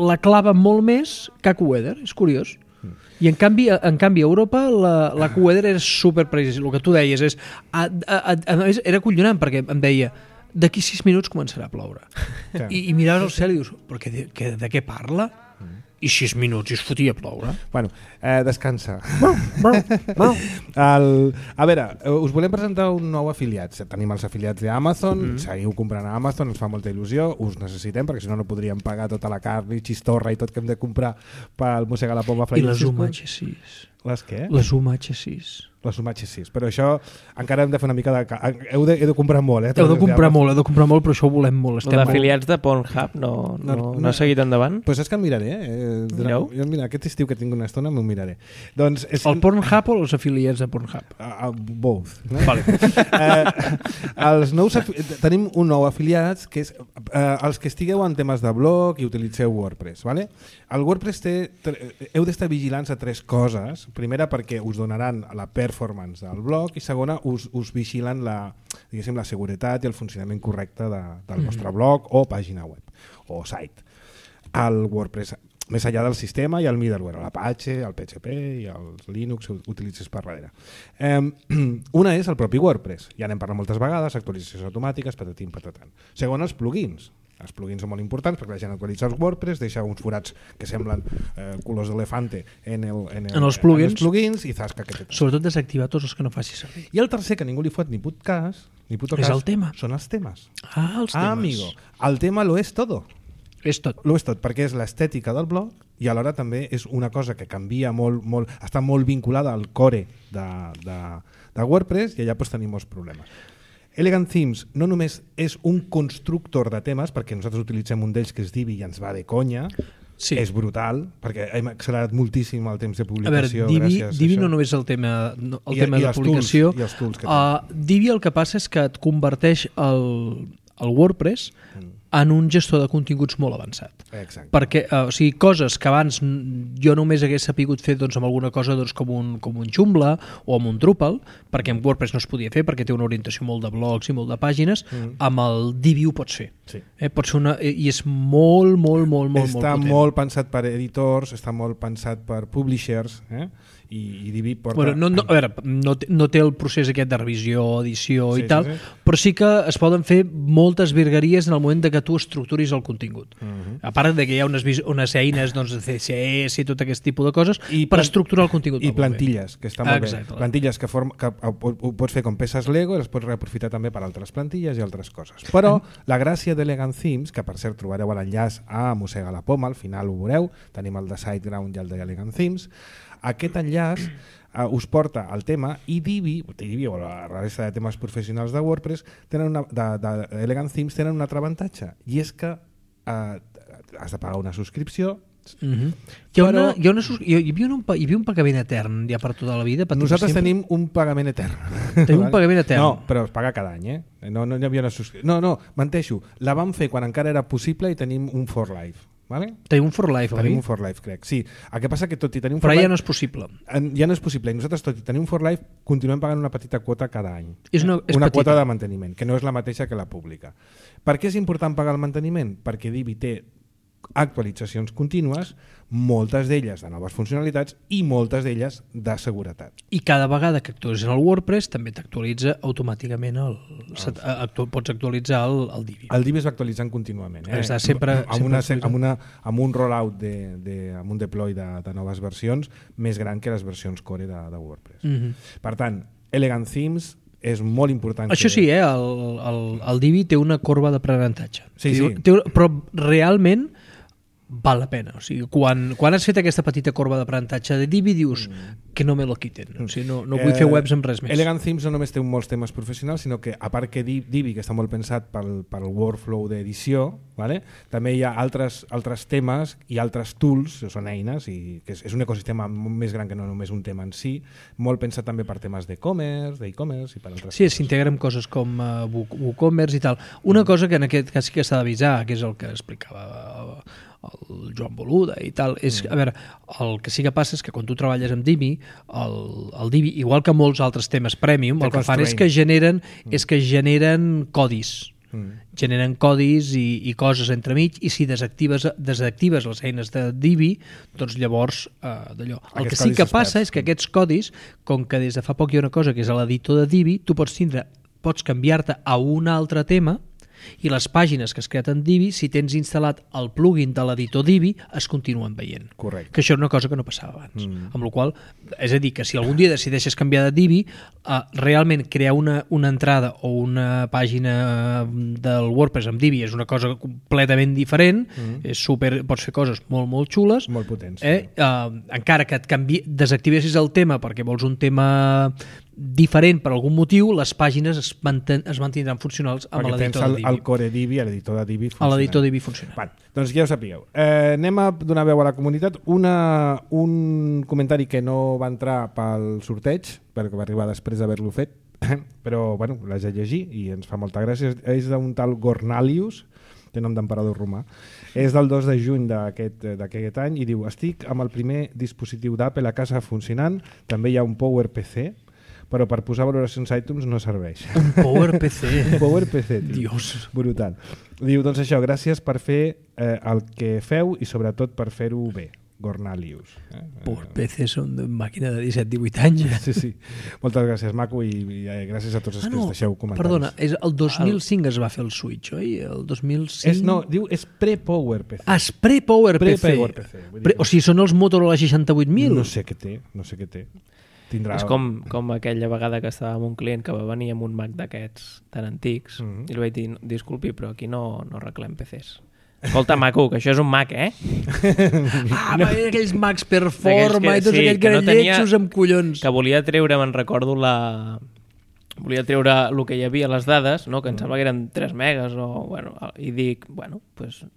la clava molt més que AccuWeather, és curiós. Mm. I en canvi, en canvi a Europa la, la AccuWeather és superprecisa. El que tu deies és... A, a, a, a més, era acollonant perquè em deia d'aquí sis minuts començarà a ploure. Sí. I, I miraves el cel i dius, però que de, que, de què parla? Mm. I sis minuts i es fotia a ploure. Bueno, eh, descansa. el, a veure, us volem presentar un nou afiliat. Tenim els afiliats d'Amazon, mm. seguiu comprant a Amazon, ens fa molta il·lusió, us necessitem perquè si no no podríem pagar tota la carn i xistorra i tot que hem de comprar pel Mossegar la Poma Flying Circus. I les U M H sis. Les què? Les U M H sis. Les U M H sis, però això encara hem de fer una mica de... Heu de, heu de comprar molt, eh? Heu de comprar molt, heu de comprar molt, però això ho volem molt. Els afiliats de Pornhub no, no, no, no ha seguit endavant? Doncs pues és que em miraré. Eh? Jo, mira, aquest estiu que tinc una estona m'ho miraré. Doncs és... El Pornhub o els afiliats de Pornhub? Uh, uh, both. No? Vale. uh, els nous tenim un nou afiliat que és uh, els que estigueu en temes de blog i utilitzeu WordPress. Vale? El WordPress té... Heu d'estar vigilants a tres coses. Primera, perquè us donaran la performance del blog i segona, us, us vigilen la, diguéssim, la seguretat i el funcionament correcte de, del vostre blog o pàgina web o site. El WordPress, més enllà del sistema i el middleware, l'Apache, el P H P i el Linux ho utilitzes per darrere. Eh, una és el propi WordPress, ja n'hem parlat moltes vegades, actualitzacions automàtiques, patatim, patatan. Segona, els plugins. Els plugins són molt importants perquè la gent actualitza els WordPress, deixa uns forats que semblen eh, colors d'elefante en, el, en, el, en els plugins, en els plugins i zasca que té. Sobretot desactivar tots els que no faci servir. I el tercer, que ningú li fot ni put cas, ni puto cas, és el tema. Són els temes. Ah, els temes. Ah, amigo, el tema lo és todo. És tot. Lo és tot, perquè és l'estètica del blog i alhora també és una cosa que canvia molt, molt està molt vinculada al core de, de, de WordPress i allà pues, tenim molts problemes. Elegant Themes no només és un constructor de temes, perquè nosaltres utilitzem un d'ells que és Divi i ens va de conya, sí. És brutal, perquè hem accelerat moltíssim el temps de publicació. A veure, Divi, gràcies Divi a no només el tema, el I, tema i de publicació. Tools, i els tools que uh, Divi el que passa és que et converteix el, el WordPress mm. en un gestor de continguts molt avançat. Exacte. Perquè, uh, o sigui, coses que abans jo només hagués sapigut fer doncs, amb alguna cosa doncs, com, un, com un Joomla o amb un Drupal, perquè en WordPress no es podia fer, perquè té una orientació molt de blogs i molt de pàgines, mm. amb el Divi ho pots fer. Sí. Eh, pot ser una, I és molt, molt, molt, molt, està molt potent. molt pensat per editors, està molt pensat per publishers, eh? I, i Divi porta... Bueno, no, no, a veure, no, no té el procés aquest de revisió, edició sí, i tal, sí, sí. però sí que es poden fer moltes virgueries en el moment de que que tu estructuris el contingut. Uh -huh. A part de que hi ha unes, unes eines doncs, de C S S i tot aquest tipus de coses I per estructurar el contingut. I plantilles, que està molt Exacte. bé. Plantilles que, form, que ho, ho pots fer com peces Lego i les pots reaprofitar també per altres plantilles i altres coses. Però la gràcia d'Elegant Themes, que per cert trobareu l'enllaç a Mossega la Poma, al final ho veureu, tenim el de SiteGround i el d'Elegant Themes, aquest enllaç uh, us porta al tema i Divi, Divi o la resta de temes professionals de WordPress tenen una, de, de Elegant Themes tenen un altre avantatge, i és que uh, has de pagar una subscripció. Uh-huh. Hi, ha Però... una, hi, ha una, hi, havia un, hi havia un pagament etern ja per tota la vida? Per Nosaltres sempre? tenim un pagament etern. Tenim un pagament etern? No, però es paga cada any, eh? No, no hi havia una subscripció. No, no, menteixo. La vam fer quan encara era possible i tenim un for life. Vale? Tenim un for life, Tenim oi? un for life, crec. Sí. El que passa que tot i tenir un Però for ja life... no és possible. Ja no és possible. I nosaltres, tot i tenir un for life, continuem pagant una petita quota cada any. És una, és una petita. quota de manteniment, que no és la mateixa que la pública. Per què és important pagar el manteniment? Perquè Divi té actualitzacions contínues, moltes d'elles de noves funcionalitats i moltes d'elles de seguretat. I cada vegada que actualitzes el WordPress també t'actualitza automàticament el, el... Actu, pots actualitzar el, el Divi. El Divi es va actualitzant contínuament. Eh? Està sempre, amb, sempre una, amb, una, amb un rollout, de, de, amb un deploy de, de noves versions més gran que les versions core de, de WordPress. Mm-hmm. Per tant, Elegant Themes és molt important. Això que... sí, eh? el, el, el Divi té una corba d'aprenentatge. Sí, té, sí. Té, però realment val la pena. O sigui, quan, quan has fet aquesta petita corba d'aprenentatge de Divi dius mm. que no me lo quiten. O sigui, no, no vull eh, fer webs amb res més. Elegant Themes no només té molts temes professionals, sinó que a part que Divi, que està molt pensat pel, pel workflow d'edició, vale? També hi ha altres, altres temes i altres tools, són eines, i que és, és un ecosistema més gran que no només un tema en si, molt pensat també per temes d'e-commerce, d'e-commerce i per altres sí, coses. s'integra amb coses com uh, WooCommerce i tal. Una mm. cosa que en aquest cas sí que s'ha d'avisar, que és el que explicava el Joan Boluda i tal, és, a veure, el que sí que passa és que quan tu treballes amb Divi, el, el Divi, igual que molts altres temes premium, el que fan és que generen, mm. és que generen codis. Mm. Generen codis i, i coses entremig, i si desactives, desactives les eines de Divi, doncs llavors eh, d'allò. El Aquests que sí que passa experts. és que aquests codis, com que des de fa poc hi ha una cosa que és a l'editor de Divi, tu pots tindre, pots canviar-te a un altre tema, i les pàgines que es creen en Divi, si tens instal·lat el plugin de l'editor Divi, es continuen veient. Correcte. Que això és una cosa que no passava abans. Mm. Amb la qual, és a dir, que si algun dia decideixes canviar de Divi, uh, realment crear una, una entrada o una pàgina del WordPress amb Divi és una cosa completament diferent, mm. és super, pots fer coses molt, molt xules. Molt potents. Eh? Uh, encara que et canvi, desactivessis el tema perquè vols un tema diferent per algun motiu, les pàgines es, manten, es mantindran funcionals amb l'editor de Divi. El core Divi, l'editor de Divi funciona. A l'editor Divi funciona. Bueno, doncs ja ho sapigueu. Eh, anem a donar veu a la comunitat. Una, un comentari que no va entrar pel sorteig, perquè va arribar després d'haver-lo fet, però bueno, l'haig de llegir i ens fa molta gràcia. És d'un tal Gornalius, té nom d'emperador romà. És del dos de juny d'aquest any i diu: estic amb el primer dispositiu d'Apple a casa funcionant, també hi ha un PowerPC, però per posar valoracions a iTunes no serveix. Un PowerPC. Un PowerPC, tio. Dios. Brutal. Diu, doncs això, gràcies per fer eh, el que feu i sobretot per fer-ho bé. Gornalius. Eh? PowerPC són de màquina de disset divuit anys. Sí, sí. Moltes gràcies, maco, i, i eh, gràcies a tots els ah, no, que ens deixeu comentaris. Perdona, és el dos mil cinc el... es va fer el Switch, oi? El dos mil cinc... És, no, diu, és pre-PowerPC. Ah, és pre-PowerPC. Pre-PowerPC. Pre o sigui, són els Motorola seixanta-vuit mil? No sé què té, no sé què té. Tindrà... És com, com aquella vegada que estava amb un client que va venir amb un Mac d'aquests tan antics mm-hmm. i li vaig dir, disculpi, però aquí no, no arreglem P Cs. Escolta, maco, que això és un Mac, eh? Ah, no. Aquells Macs Performa que, i tots sí, aquells gran no lletjos amb collons. Que volia treure, me'n recordo, la... volia treure el que hi havia, les dades, no? Que em sembla que eren tres megas, o, bueno, i dic, bueno, doncs... Pues,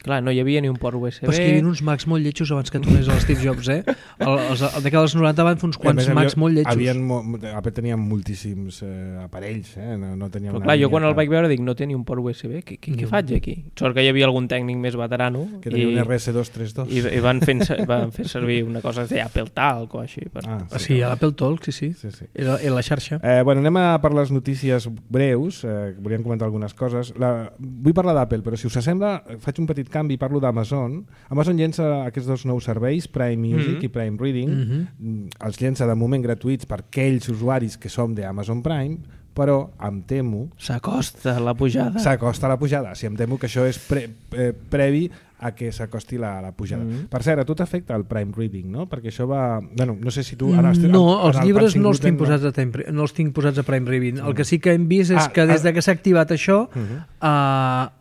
clar, no hi havia ni un port U S B. Però és que hi havia uns Macs molt lletjos abans que tornés a Steve Jobs, eh? El, els, el de dels noranta van fer uns quants Macs molt lletjos. Havien, Apple tenia moltíssims eh, aparells, eh? No, no tenia però clar, jo quan el vaig veure dic, no té ni un port U S B, què, què, què faig aquí? Sort que hi havia algun tècnic més veterano. Que tenia i, un R S dos trenta dos. I, i van, fent, van fer servir una cosa que es deia Apple Talk o així. Per... Ah, sí, sí l'Apple Talk, sí, sí. sí, sí. Era, era la xarxa. Eh, bueno, anem a per les notícies breus. Eh, volíem comentar algunes coses. La, vull parlar d'Apple, però si us sembla, faig un petit canvi i parlo d'Amazon. Amazon llença aquests dos nous serveis, Prime Music mm-hmm. i Prime Reading. Mm-hmm. Els llença de moment gratuïts per aquells usuaris que som d'Amazon Prime, però em temo... S'acosta la pujada. S'acosta la pujada. Si em temo que això és pre, eh, previ a que s'acosti la, la pujada. Mm-hmm. Per cert, a tu t'afecta el Prime Reading, no? Perquè això va... Bueno, no sé si tu... Ara estic, no, en, els en el llibres no els, tinc no. posats a time, no els tinc posats a Prime Reading. El que sí que hem vist és ah, que des de que s'ha activat això uh-huh. uh,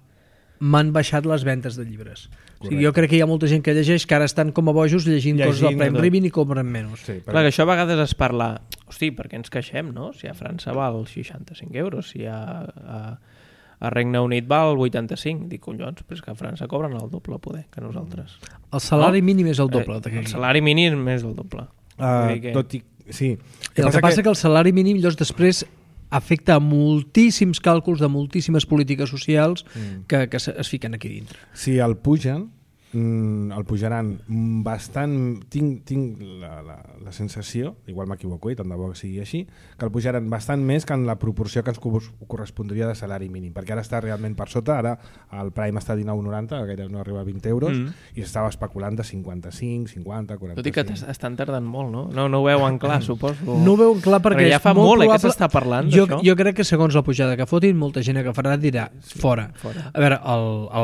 m'han baixat les ventes de llibres. O sigui, jo crec que hi ha molta gent que llegeix que ara estan com a bojos llegint, llegint coses del Prime Reading i compren menys. Sí, Clar, que això a vegades es parla... Hosti, per què ens queixem, no? Si a França val seixanta-cinc euros, si a... a... a Regne Unit val vuitanta-cinc. Dic, collons, però és que a França cobren el doble poder que nosaltres. El salari no? mínim és el doble. Eh, el salari mínim és el doble. Uh, que... tot i... Sí. El que passa, que... passa que el salari mínim llavors després afecta a moltíssims càlculs de moltíssimes polítiques socials mm. que, que es fiquen aquí dintre. Si el pugen, mm, el pujaran bastant... Tinc, tinc la, la, la sensació, igual m'equivoco i tant de bo que sigui així, que el pujaran bastant més que en la proporció que ens correspondria de salari mínim, perquè ara està realment per sota, ara el Prime està a dinou noranta, gairebé no arriba a vint euros, mm. i estava especulant de cinquanta-cinc, cinquanta, quaranta-cinc... Tot i que estan tardant molt, no? No, no ho veuen clar, suposo. No ho veuen clar perquè, perquè ja fa és molt, molt probable... eh, que s'està parlant jo, d'això. Jo crec que segons la pujada que fotin, molta gent agafarà dirà sí, fora. fora. A veure,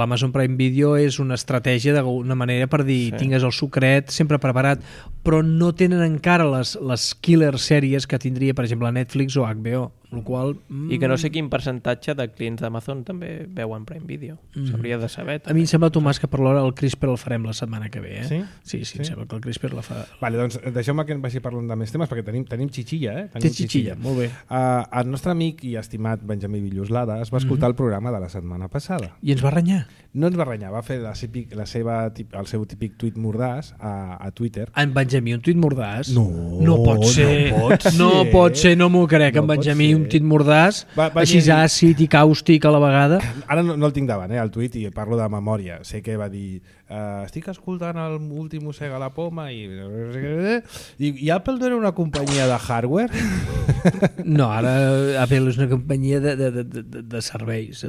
l'Amazon Prime Video és una estratègia d'alguna manera per dir sí. tingues el sucret sempre preparat, però no tenen encara les, les killer sèries que tindria, per exemple, Netflix o H B O. El qual, mm... I que no sé quin percentatge de clients d'Amazon també veuen Prime Video. Mm. S'hauria de saber. També. A mi em sembla, Tomàs, que per l'hora el CRISPR el farem la setmana que ve. Eh? Sí? Sí, sí, sí, em sembla que el CRISPR la fa... Vale, doncs deixeu-me que em vagi parlant de més temes, perquè tenim, tenim xixilla, eh? Tenim Té xixilla, molt bé. Uh, el nostre amic i estimat Benjamí Villoslada es va escoltar mm-hmm. el programa de la setmana passada. I ens va renyar? No ens va renyar, va fer la, típic, la seva, el seu típic tuit mordàs a, a Twitter. En Benjamí, un tuit mordàs? No, no pot ser. No pot ser, no pot ser, no m'ho crec. No en Benjamí, un tuit mordàs, va, va així dir... àcid i càustic a la vegada. Ara no, no el tinc davant, eh, el tuit, i parlo de memòria. Sé que va dir, uh, estic escoltant l'últim Mossega la Poma i... I, i Apple no era una companyia de hardware? No, ara Apple és una companyia de, de, de, de, de serveis.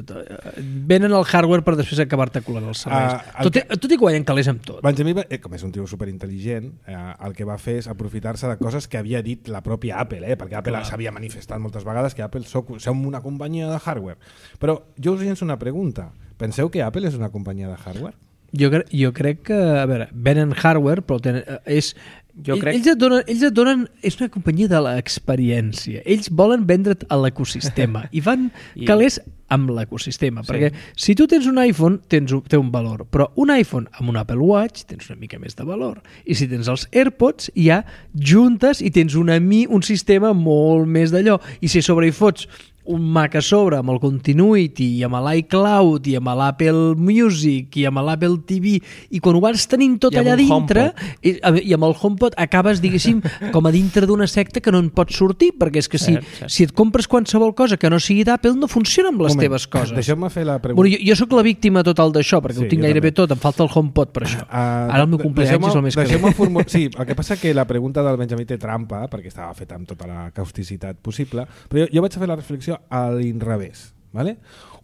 Venen el hardware per després acabar-te colant els serveis. Uh, tot, que... tot i guanyen calés amb tot. Benjamí, eh, com és un tio superintel·ligent, eh, el que va fer és aprofitar-se de coses que havia dit la pròpia Apple, eh, perquè Apple s'havia manifestat moltes vegades que Apple soc, som una companyia de hardware. Però jo us llenço una pregunta. Penseu que Apple és una companyia de hardware? Jo, jo crec que, a veure, venen hardware, però tenen, és... Jo crec... ells, et donen, ells et donen... És una companyia de l'experiència. Ells volen vendre't a l'ecosistema i van I... calés amb l'ecosistema. Sí. Perquè si tu tens un iPhone, tens un, té un valor. Però un iPhone amb un Apple Watch tens una mica més de valor. I si tens els AirPods, ja juntes i tens una, un sistema molt més d'allò. I si sobre hi fots un Mac a sobre amb el Continuity i amb l'iCloud i amb l'Apple Music i amb l'Apple T V i quan ho vas tenint tot allà dintre i, i amb el HomePod acabes, diguéssim, com a dintre d'una secta que no en pots sortir, perquè és que si, cert, cert. si et compres qualsevol cosa que no sigui d'Apple no funciona amb les Moment, teves coses. Deixeu-me fer la pregunta. Bueno, jo, jo sóc la víctima total d'això, perquè sí, ho tinc gairebé tot, em falta el HomePod per això. Uh, Ara el meu cumpleaños és el més que ve. Formu- sí, el que passa que la pregunta del Benjamí té trampa, perquè estava feta amb tota la causticitat possible, però jo, jo vaig a fer la reflexió a l'inrevés. Vale?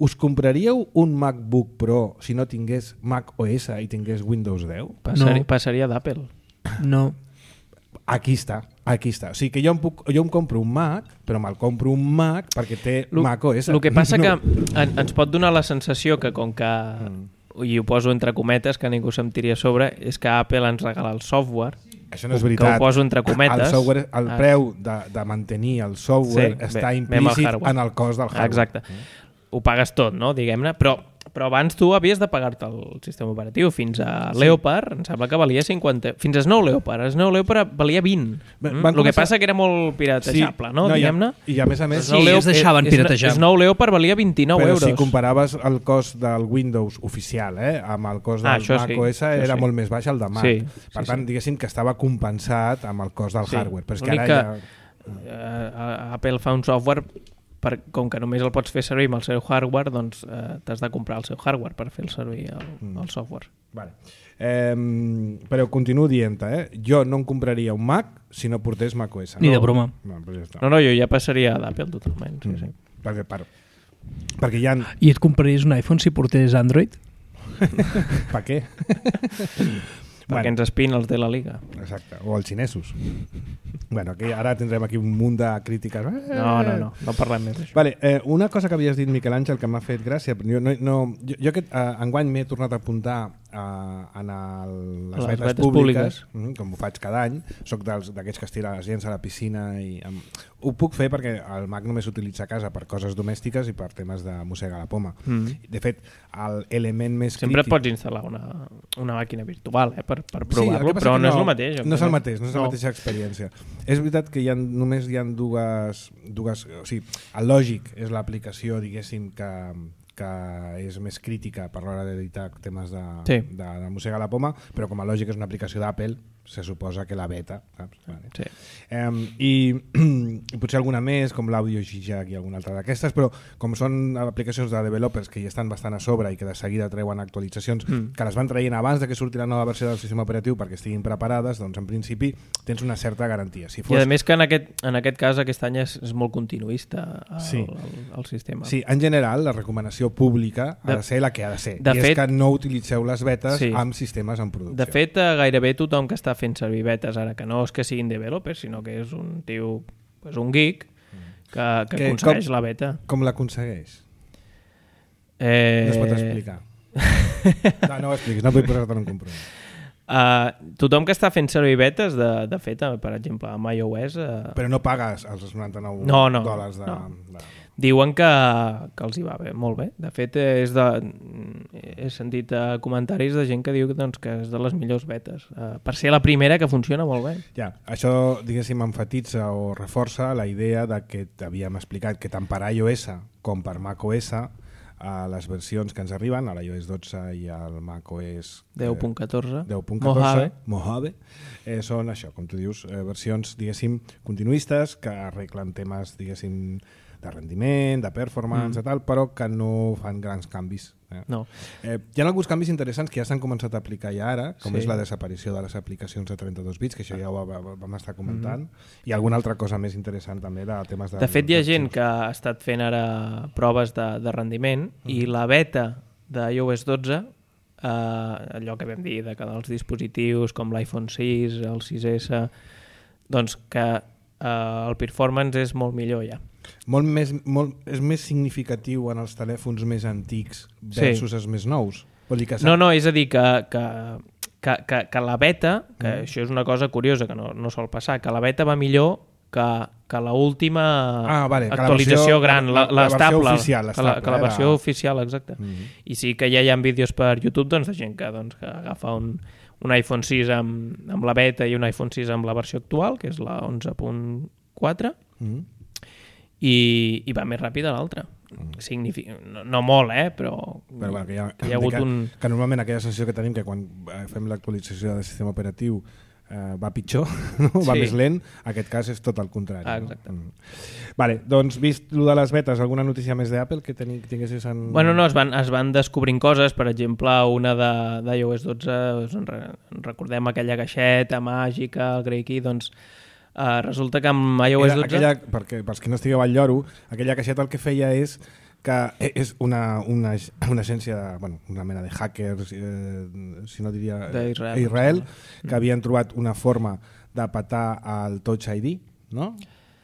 Us compraríeu un MacBook Pro si no tingués Mac O S i tingués Windows deu? Passaria, no. passaria d'Apple. No. Aquí està, aquí està. O sigui que jo em, puc, jo em compro un Mac, però me'l compro un Mac perquè té lo, Mac O S. El que passa no. que en, ens pot donar la sensació que com que, mm. i ho poso entre cometes, que ningú se'm tiri a sobre, és que Apple ens regala el software. Això no és veritat. Que ho poso entre cometes. El, software, el ah. preu de, de mantenir el software sí, està bé, implícit en el cost del hardware. Exacte. Mm. Ho pagues tot, no? Diguem-ne, però, però abans tu havies de pagar-te el sistema operatiu. Fins a sí. Leopard, em sembla que valia cinquanta... Fins a Snow Leopard. A Snow Leopard valia vint. Mm? El que passa que era molt piratejable, sí. no? no Diguem-ne. I a més a més... Sí, es deixaven piratejar. Snow Leopard valia vint-i-nou però euros. Però si comparaves el cost del Windows oficial eh, amb el cost del ah, Mac sí, O S era sí. molt més baix el de Mac. Sí, per sí, tant, sí. diguéssim que estava compensat amb el cost del sí. hardware. Però és que ara que, ja... uh, Apple fa un software... Per, com que només el pots fer servir amb el seu hardware, doncs eh, t'has de comprar el seu hardware per fer el servir el, mm. el software. Vale. Eh, però continuo dient, eh? Jo no em compraria un Mac si no portés Mac O S. Ni no, de broma. No, ja està. no, no, jo ja passaria d'Apple totalment. Sí, mm. sí. Perquè, per, perquè hi ha... I et compraries un iPhone si portés Android? Per què? Perquè bueno. ens espin els de la Liga. Exacte, o els xinesos. Bueno, aquí, ara tindrem aquí un munt de crítiques. No, no, no, no parlem més d'això. Vale, eh, una cosa que havies dit, Miquel Àngel, que m'ha fet gràcia, jo, no, no, jo, jo aquest eh, enguany m'he tornat a apuntar eh, en el, les, les vetes, vetes públiques, públiques. com ho faig cada any, soc d'aquests que es tira les gens a la piscina i amb... ho puc fer perquè el Mac només s'utilitza a casa per coses domèstiques i per temes de mossegar la poma. Mm. De fet, l'element més sempre crític... pots instal·lar una, una màquina virtual eh, per, per provar-lo, sí, però no, no és el mateix. No és el mateix, no és la no. mateixa experiència. És veritat que hi ha, només hi ha dues... dues o sigui, el lògic és l'aplicació, diguéssim, que, que és més crítica per l'hora d'editar temes de, sí. de, de mossegar la poma, però com a lògic és una aplicació d'Apple, se suposa que la beta, saps? Vale. Sí. Um, i, i potser alguna més, com l'Audio Gijak i alguna altra d'aquestes, però com són aplicacions de developers que hi estan bastant a sobre i que de seguida treuen actualitzacions, mm. que les van traient abans de que surti la nova versió del sistema operatiu perquè estiguin preparades, doncs en principi tens una certa garantia. Si fos... I a més que en aquest, en aquest cas aquest any és, és molt continuista el, sí. el, el sistema. Sí, en general la recomanació pública ha de, de ser la que ha de ser, de i fet, és que no utilitzeu les betes sí. amb sistemes en producció. De fet, gairebé tothom que està fent servir betes ara, que no és que siguin developers, sinó que és un tio, pues un geek que, que, que aconsegueix com, la beta. Com l'aconsegueix? Eh... No es pot explicar. No, no ho expliquis, no vull posar-te en un compromís. Uh, tothom que està fent servir betes, de, de fet, per exemple, amb iOS... Uh... Però no pagues els noranta-nou no, no, dòlars de... No. de... Diuen que, que els hi va bé, molt bé. De fet, és de, he sentit comentaris de gent que diu doncs, que és de les millors betes. Uh, per ser la primera que funciona molt bé. Ja, això, diguéssim, enfatitza o reforça la idea de que t'havíem explicat que tant per iOS com per macOS a les versions que ens arriben, a l'iOS dotze i al macOS deu punt catorze, deu punt catorze Mojave, eh, són això, com tu dius, eh, versions, diguéssim, continuistes que arreglen temes, diguéssim, de rendiment, de performance, mm. i tal, però que no fan grans canvis. Eh? No. Eh, hi ha alguns canvis interessants que ja s'han començat a aplicar ja ara, com sí. és la desaparició de les aplicacions de trenta-dos bits, que això ja ho vam estar comentant, mm. i alguna altra cosa més interessant també de temes de... De fet, hi ha gent que ha estat fent ara proves de, de rendiment mm. i la beta d'iOS dotze, eh, allò que vam dir de que els dispositius com l'iPhone sis, el sis essa, doncs que eh, el performance és molt millor ja. Molt més, molt, és més significatiu en els telèfons més antics versus sí. els més nous? Vol dir que no, no, és a dir que, que, que, que, que la beta, que mm. això és una cosa curiosa que no, no sol passar, que la beta va millor que, que l'última ah, vale, actualització versió, gran, la, la, l'estable, la, oficial, que la, que la versió era... oficial, exacte. Mm. I sí que ja hi ha vídeos per YouTube doncs, de gent que, doncs, que agafa un, un iPhone sis amb, amb la beta i un iPhone sis amb la versió actual, que és la onze punt quatre, mm. I, i va més ràpid a l'altre. Mm. Significa, no, no molt, eh? però, però bueno, que, hi ha, que hi ha hagut que, un... que normalment aquella sensació que tenim que quan fem l'actualització del sistema operatiu eh, va pitjor, no? Va sí. més lent, en aquest cas és tot el contrari. Ah, exacte. No? Mm. Vale, doncs vist lo de les betes, alguna notícia més d'Apple que teni, tinguessis en... Bueno, no, es van, es van descobrint coses, per exemple, una d'iOS dotze, recordem aquella caixeta màgica, el Grey Key, doncs Uh, resulta que amb iOS dotze... Aquella, perquè, pels que no estigueu al lloro, aquella caixeta el que feia és que és una, una, una agència, de, bueno, una mena de hackers, eh, si no diria... d'Israel. Israel, que havien trobat una forma de petar el Touch I D, no?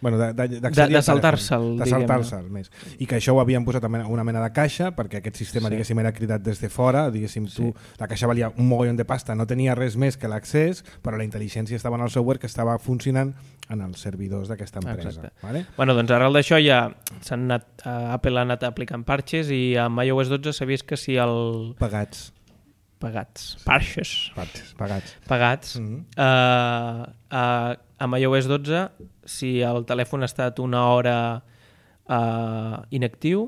Bueno, de, de, de, de saltar-se'l, de saltar-se'l més. I que això ho havien posat en una mena de caixa perquè aquest sistema, sí. diguéssim, era cridat des de fora, diguéssim, tu, sí. la caixa valia un mogollon de pasta, no tenia res més que l'accés, però la intel·ligència estava en el software que estava funcionant en els servidors d'aquesta empresa. Vale? Bueno, doncs arrel d'això ja s'han anat, uh, Apple ha anat aplicant parches i amb iOS dotze s'ha vist que si el... Pagats. Pagats. Parches. Parches. Pagats. Pagats. Mm-hmm. uh, uh, amb iOS dotze, si el telèfon ha estat una hora uh, inactiu,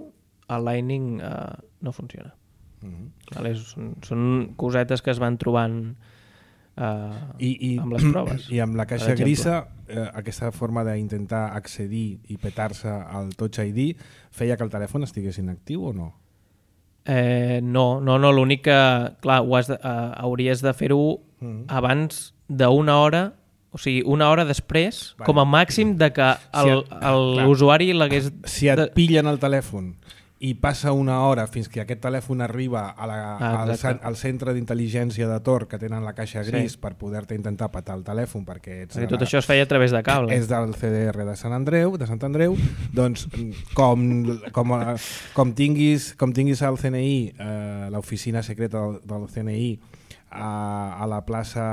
el Lightning uh, no funciona. Mm-hmm. Vale? Són, són cosetes que es van trobant uh, I, i, amb les proves. I amb la caixa grisa, eh, aquesta forma d'intentar accedir i petar-se al Touch I D feia que el telèfon estigués inactiu o no? Eh, no, no, no, l'únic que, clar, ho has de, uh, hauries de fer-ho mm. abans d'una hora, o sigui, una hora després, vale. Com a màxim de que l'usuari si l'hagués... Si et pillen el telèfon i passa una hora fins que aquest telèfon arriba a la, ah, al, al centre d'intel·ligència de Tor, que tenen la caixa gris, sí. per poder-te intentar petar el telèfon, perquè, ets perquè tot la, això es feia a través de cable. És del C D R de Sant Andreu, de Sant Andreu, doncs com, com, com, tinguis, com tinguis al C N I, eh, l'oficina secreta del, del C N I, a, a la plaça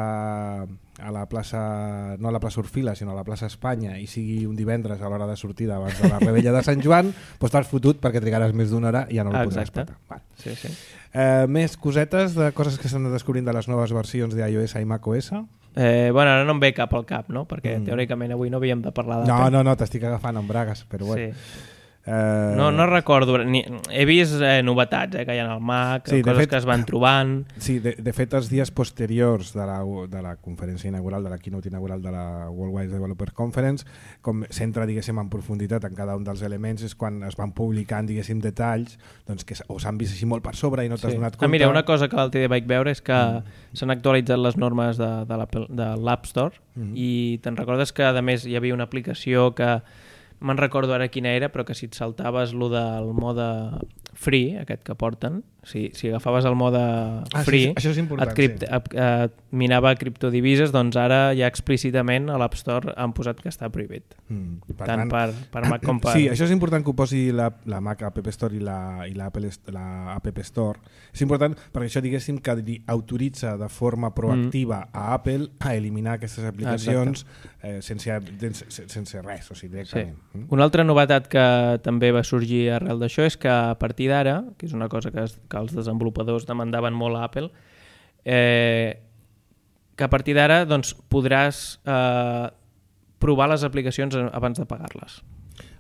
a la plaça, no a la plaça Orfila, sinó a la plaça Espanya, i sigui un divendres a l'hora de sortida abans de la rebella de Sant Joan, doncs t'has fotut perquè trigaràs més d'una hora i ja no el ah, podràs petar. Vale. Sí, sí. Eh, més cosetes de coses que s'han descobrint de les noves versions d'iOS i macOS? Eh, bueno, ara no em ve cap al cap, no? Perquè mm. teòricament avui no havíem de parlar de... No, no, no, t'estic agafant en bragues, però bueno. Sí. Eh... No, no recordo, ni, he vist eh, novetats eh, que hi ha al Mac, sí, coses fet, que es van trobant. Sí, de, de fet els dies posteriors de la, de la conferència inaugural, de la keynote inaugural de la Worldwide Developer Conference, com s'entra, diguéssim, en profunditat en cada un dels elements, és quan es van publicant, diguéssim, detalls, doncs que o s'han vist així molt per sobre i no t'has sí. donat compte. Ah, mira, una cosa que l'altre dia vaig veure és que mm. s'han actualitzat les normes de, de l'App Store mm. i te'n recordes que, a més, hi havia una aplicació que me'n recordo ara quina era, però que si et saltaves lo del mode free, aquest que porten, si, si agafaves el mode free, ah, sí, això és important, et, cripte, sí. et, et minava criptodivises, doncs ara ja explícitament a l'App Store han posat que està prohibit. Mm, per tant, tant per, per Mac com per... Sí, això és important que ho posi la, la Mac App Store i la, i la, Apple, la App Store. És important perquè això, diguéssim, que autoritza de forma proactiva mm. a Apple a eliminar aquestes aplicacions eh, sense, sense, sense res, o sigui, directament. Sí. Mm. Una altra novetat que també va sorgir arrel d'això és que a partir d'ara, que és una cosa que, es, que els desenvolupadors demandaven molt a Apple, eh, que a partir d'ara doncs, podràs eh, provar les aplicacions abans de pagar-les.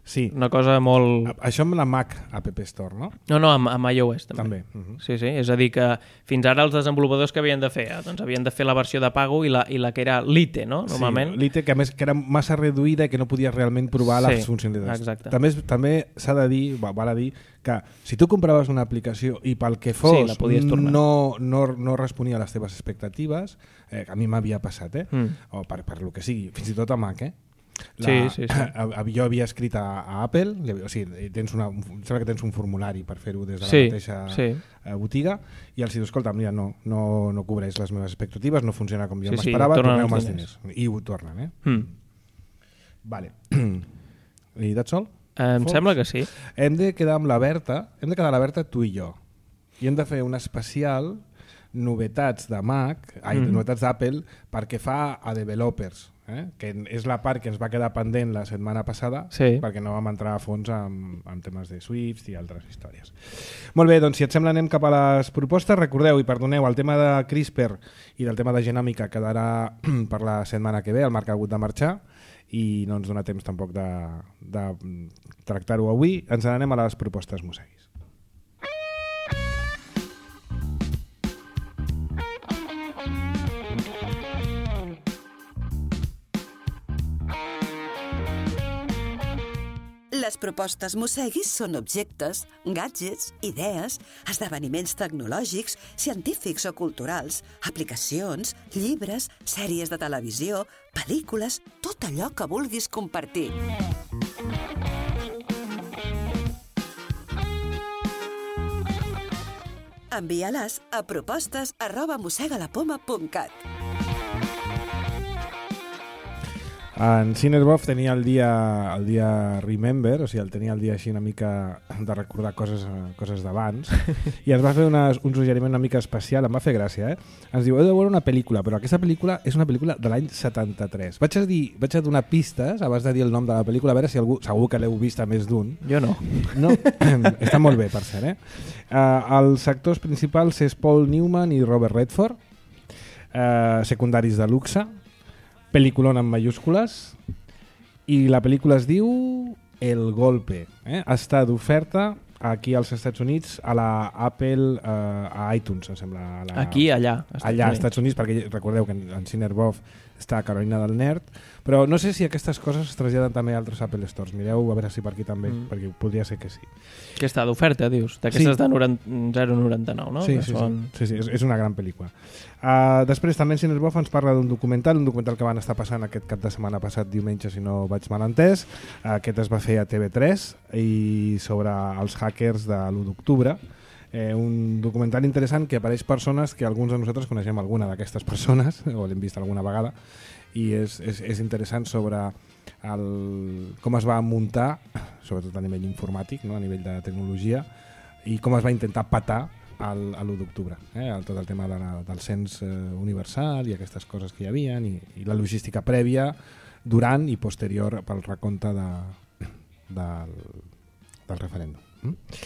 Sí. Una cosa molt... Això amb la Mac App Store, no? No, no, amb, amb iOS també. També. Uh-huh. Sí, sí, és a dir que fins ara els desenvolupadors que havien de fer, eh? doncs havien de fer la versió de pago i la, i la que era Lite, no? Normalment. Sí, Lite, que a més que era massa reduïda i que no podies realment provar sí, les funcionalitats. Exacte. També, també s'ha de dir, val a dir, que si tu compraves una aplicació i pel que fos sí, no, no, no responia a les teves expectatives, eh, a mi m'havia passat, eh? Mm. o per, per lo que sigui, fins i tot a Mac, eh? La, sí, sí, sí. A, a, jo havia escrit a, a Apple, o sigui, tens una, sembla que tens un formulari per fer-ho des de sí, la mateixa sí. botiga, i els dius, escolta, mira, no, no, no cobreix les meves expectatives, no funciona com jo sí, m'esperava, sí, torneu-me els diners. I ho tornen, eh? Mm. Vale. I that's all? Em Fox? Sembla que sí. Hem de quedar amb la Berta, hem de quedar a la Berta tu i jo, i hem de fer un especial novetats de Mac, ai, mm. novetats d'Apple, perquè fa a developers, eh? Que és la part que ens va quedar pendent la setmana passada, sí. perquè no vam entrar a fons amb, amb temes de Swift i altres històries. Molt bé, doncs si et sembla anem cap a les propostes. Recordeu i perdoneu, el tema de CRISPR i del tema de genòmica quedarà per la setmana que ve, el Marc ha hagut de marxar i no ens dona temps tampoc de, de tractar-ho avui. Ens n'anem a les propostes Moseguis. Les propostes Moseguis són objectes, gadgets, idees, esdeveniments tecnològics, científics o culturals, aplicacions, llibres, sèries de televisió, pel·lícules, tot allò que vulguis compartir. Envia-les a propostes arroba mosegalapoma punt cat. En Cinerbov tenia el dia, el dia Remember, o sigui, el tenia el dia així una mica de recordar coses, coses d'abans, i ens va fer una, un suggeriment una mica especial, em va fer gràcia, eh? Ens diu, heu de veure una pel·lícula, però aquesta pel·lícula és una pel·lícula de l'any setanta-tres. Vaig a, dir, vaig a donar pistes abans de dir el nom de la pel·lícula, a veure si algú, segur que l'heu vist a més d'un. Jo no. No? Està molt bé, per cert, eh? Uh, els actors principals és Paul Newman i Robert Redford, uh, secundaris de luxe, pel·lículon en mayúscules, i la pel·lícula es diu El Golpe. Eh? Està d'oferta aquí als Estats Units a la Apple, eh, a iTunes, em sembla. A la... Aquí, allà. Allà, als Estats Units, perquè recordeu que en Cinerbov està Carolina del Nerd, però no sé si aquestes coses es traslladen també a altres Apple Stores. Mireu a veure si per aquí també, mm. perquè podria ser que sí. Que està d'oferta, dius? D'aquestes sí. de zero coma noranta-nou, no? Sí, sí, són... sí, sí, sí, és una gran pel·lícula. Uh, després també en Cinesbof ens parla d'un documental, un documental que van estar passant aquest cap de setmana passat, diumenge, si no vaig mal entès. Uh, aquest es va fer a T V tres i sobre els hackers de l'u d'octubre. Eh, un documental interessant que apareix persones que alguns de nosaltres coneixem alguna d'aquestes persones, o l'hem vist alguna vegada, i és, és, és interessant sobre el, com es va muntar, sobretot a nivell informàtic, no? A nivell de tecnologia, i com es va intentar patar al, a l'u d'octubre, eh? El, tot el tema de la, del cens eh, universal i aquestes coses que hi havia, i, i la logística prèvia, durant i posterior pel recompte de, del, del referèndum. Mm?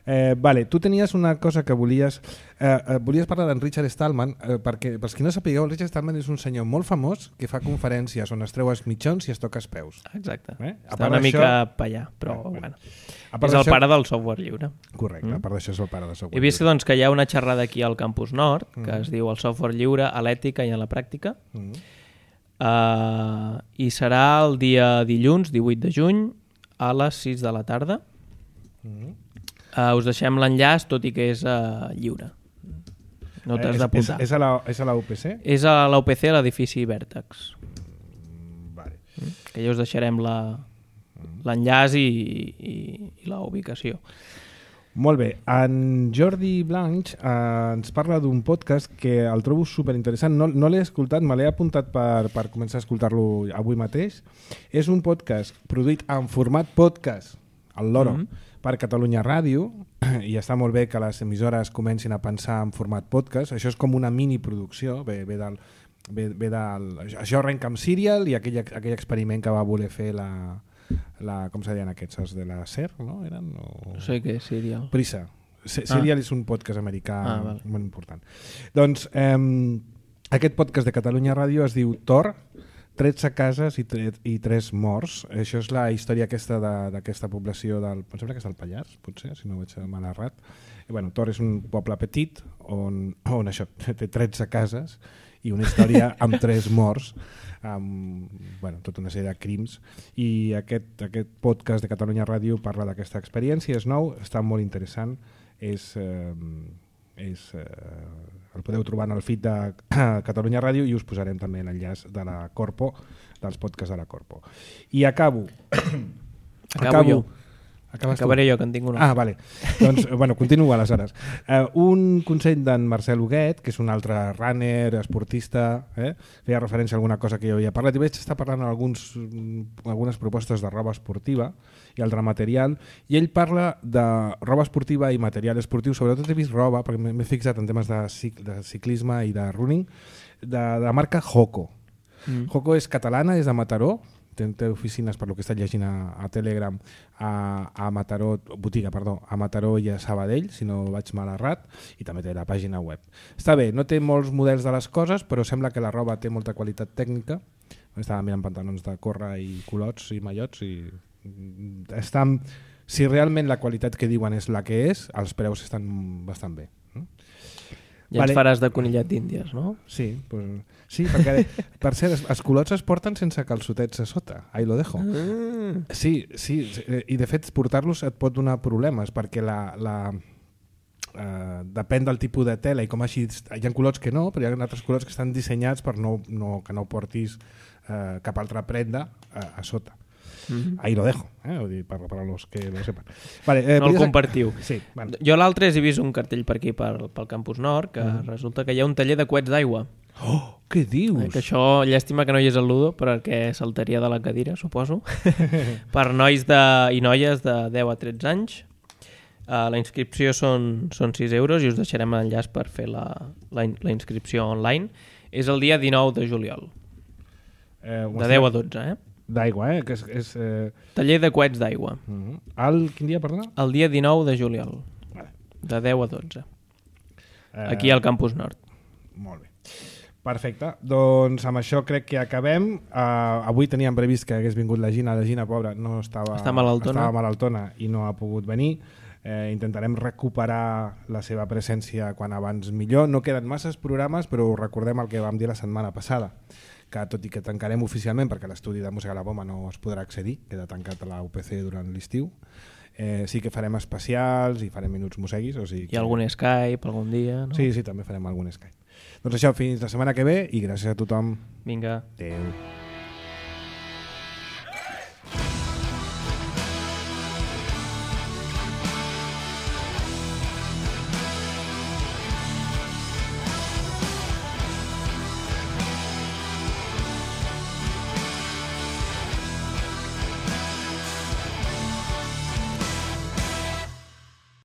Eh, vale, tu tenies una cosa que volies eh, eh, volies parlar d'en Richard Stallman, eh, perquè pels qui no sapigueu, el Richard Stallman és un senyor molt famós que fa conferències on es treu els mitjons i es toca els peus. Exacte, eh? Està una mica pa allà, però eh, bueno, és el pare del software lliure. Correcte, mm. a part d'això és el pare del software lliure. He vist lliure. Doncs, que hi ha una xerrada aquí al Campus Nord que mm. es diu el software lliure a l'ètica i a la pràctica, mm. uh, i serà el dia dilluns divuit de juny a les sis de la tarda. mm. Uh, us deixem l'enllaç, tot i que és uh, lliure. No t'has eh, d'apuntar. És, és, a la, és a la U P C? És a la U P C, a l'edifici Vèrtex. Mm, vale. Mm? Que ja us deixarem l'enllaç i, i, i la ubicació. Molt bé. En Jordi Blanch eh, ens parla d'un podcast que el trobo superinteressant. No, no l'he escoltat, me l'he apuntat per, per començar a escoltar-lo avui mateix. És un podcast produït en format podcast, el Loro, mm-hmm. per Catalunya Ràdio, i està molt bé que les emissores comencin a pensar en format podcast. Això és com una miniproducció, ve, ve del, ve, ve del, això arrenca amb Serial i aquell, aquell experiment que va voler fer la, la com se deien aquests, els de la SER, no? Eren, o... No sé què és Serial. Prisa. Serial ah. és un podcast americà ah, vale. molt important. Doncs eh, aquest podcast de Catalunya Ràdio es diu Tor, tretze cases i, tre i tres morts. Això és la història aquesta d'aquesta població del... Em sembla que és del Pallars, potser, si no ho vaig mal errat. I, bueno, Tor és un poble petit on, on això té tretze cases i una història amb tres morts, amb bueno, tota una sèrie de crims. I aquest, aquest podcast de Catalunya Ràdio parla d'aquesta experiència, és nou, està molt interessant, és... Eh, és eh, el podeu trobar en el feed de Catalunya Ràdio i us posarem també l'enllaç de la Corpo, dels podcasts de la Corpo. I acabo. Acabo, acabo jo. Acabaré jo, que en tinc una. Ah, vale. Doncs, bueno, continua aleshores. Uh, un consell d'en Marcel Huguet, que és un altre runner, esportista, eh? feia referència a alguna cosa que jo havia parlat, i vaig estar parlant alguns, algunes propostes de roba esportiva i altre material, i ell parla de roba esportiva i material esportiu, sobretot he vist roba, perquè m'he fixat en temes de, cic de ciclisme i de running, de, de la marca Hoco. Mm. Hoco és catalana, és de Mataró, té, té oficines, per lo que he estat llegint a, a Telegram, a, a Mataró, botiga, perdó, a Mataró i a Sabadell, si no vaig mal errat, i també té la pàgina web. Està bé, no té molts models de les coses, però sembla que la roba té molta qualitat tècnica. Estava mirant pantalons de córrer i culots i mallots i estan, si realment la qualitat que diuen és la que és, els preus estan bastant bé. Ja vale. Ens faràs de conillet d'Índies, no? Sí, pues, sí, perquè per cert, els culots es porten sense calçotets a sota, ahí lo dejo. Mm. Sí, sí, i de fet portar-los et pot donar problemes perquè la, la, uh, depèn del tipus de tela i com així, hi ha culots que no, però hi ha altres culots que estan dissenyats per no, no, que no portis uh, cap altra prenda uh, a sota. Mm-hmm. Ahí lo dejo, eh? Vull dir, per, per a los que lo sepan. Vale, eh, no el compartiu. Sí, bueno. Jo l'altre he vist un cartell per aquí, per, pel Campus Nord, que mm. resulta que hi ha un taller de coets d'aigua. Oh, què dius? Eh, que això, llàstima que no hi és el Ludo, perquè saltaria de la cadira, suposo. Per nois de, i noies de deu a tretze anys. Uh, la inscripció són, són sis euros i us deixarem l'enllaç per fer la, la, la inscripció online. És el dia dinou de juliol. Eh, de deu a dotze, eh? D'aigua, eh? Que és, és, eh... Taller de coets d'aigua. Uh -huh. El quin dia, perdona? El dia dinou de juliol. Vale. De deu a dotze. Eh... Aquí al Campus Nord. Molt bé. Perfecte. Doncs amb això crec que acabem. Uh, avui teníem previst que hagués vingut la Gina. La Gina, pobra, no estava... Està malaltona. Estava malaltona i no ha pogut venir. Eh, intentarem recuperar la seva presència quan abans millor. No queden masses programes, però recordem el que vam dir la setmana passada, que tot i que tancarem oficialment, perquè l'estudi de Música a la Poma no es podrà accedir, queda tancat a la U P C durant l'estiu, eh, sí que farem especials i farem minuts museguis. O sigui que... I algun Skype algun dia, no? Sí, sí, també farem algun Skype. Doncs això, fins la setmana que ve i gràcies a tothom. Vinga. Adéu.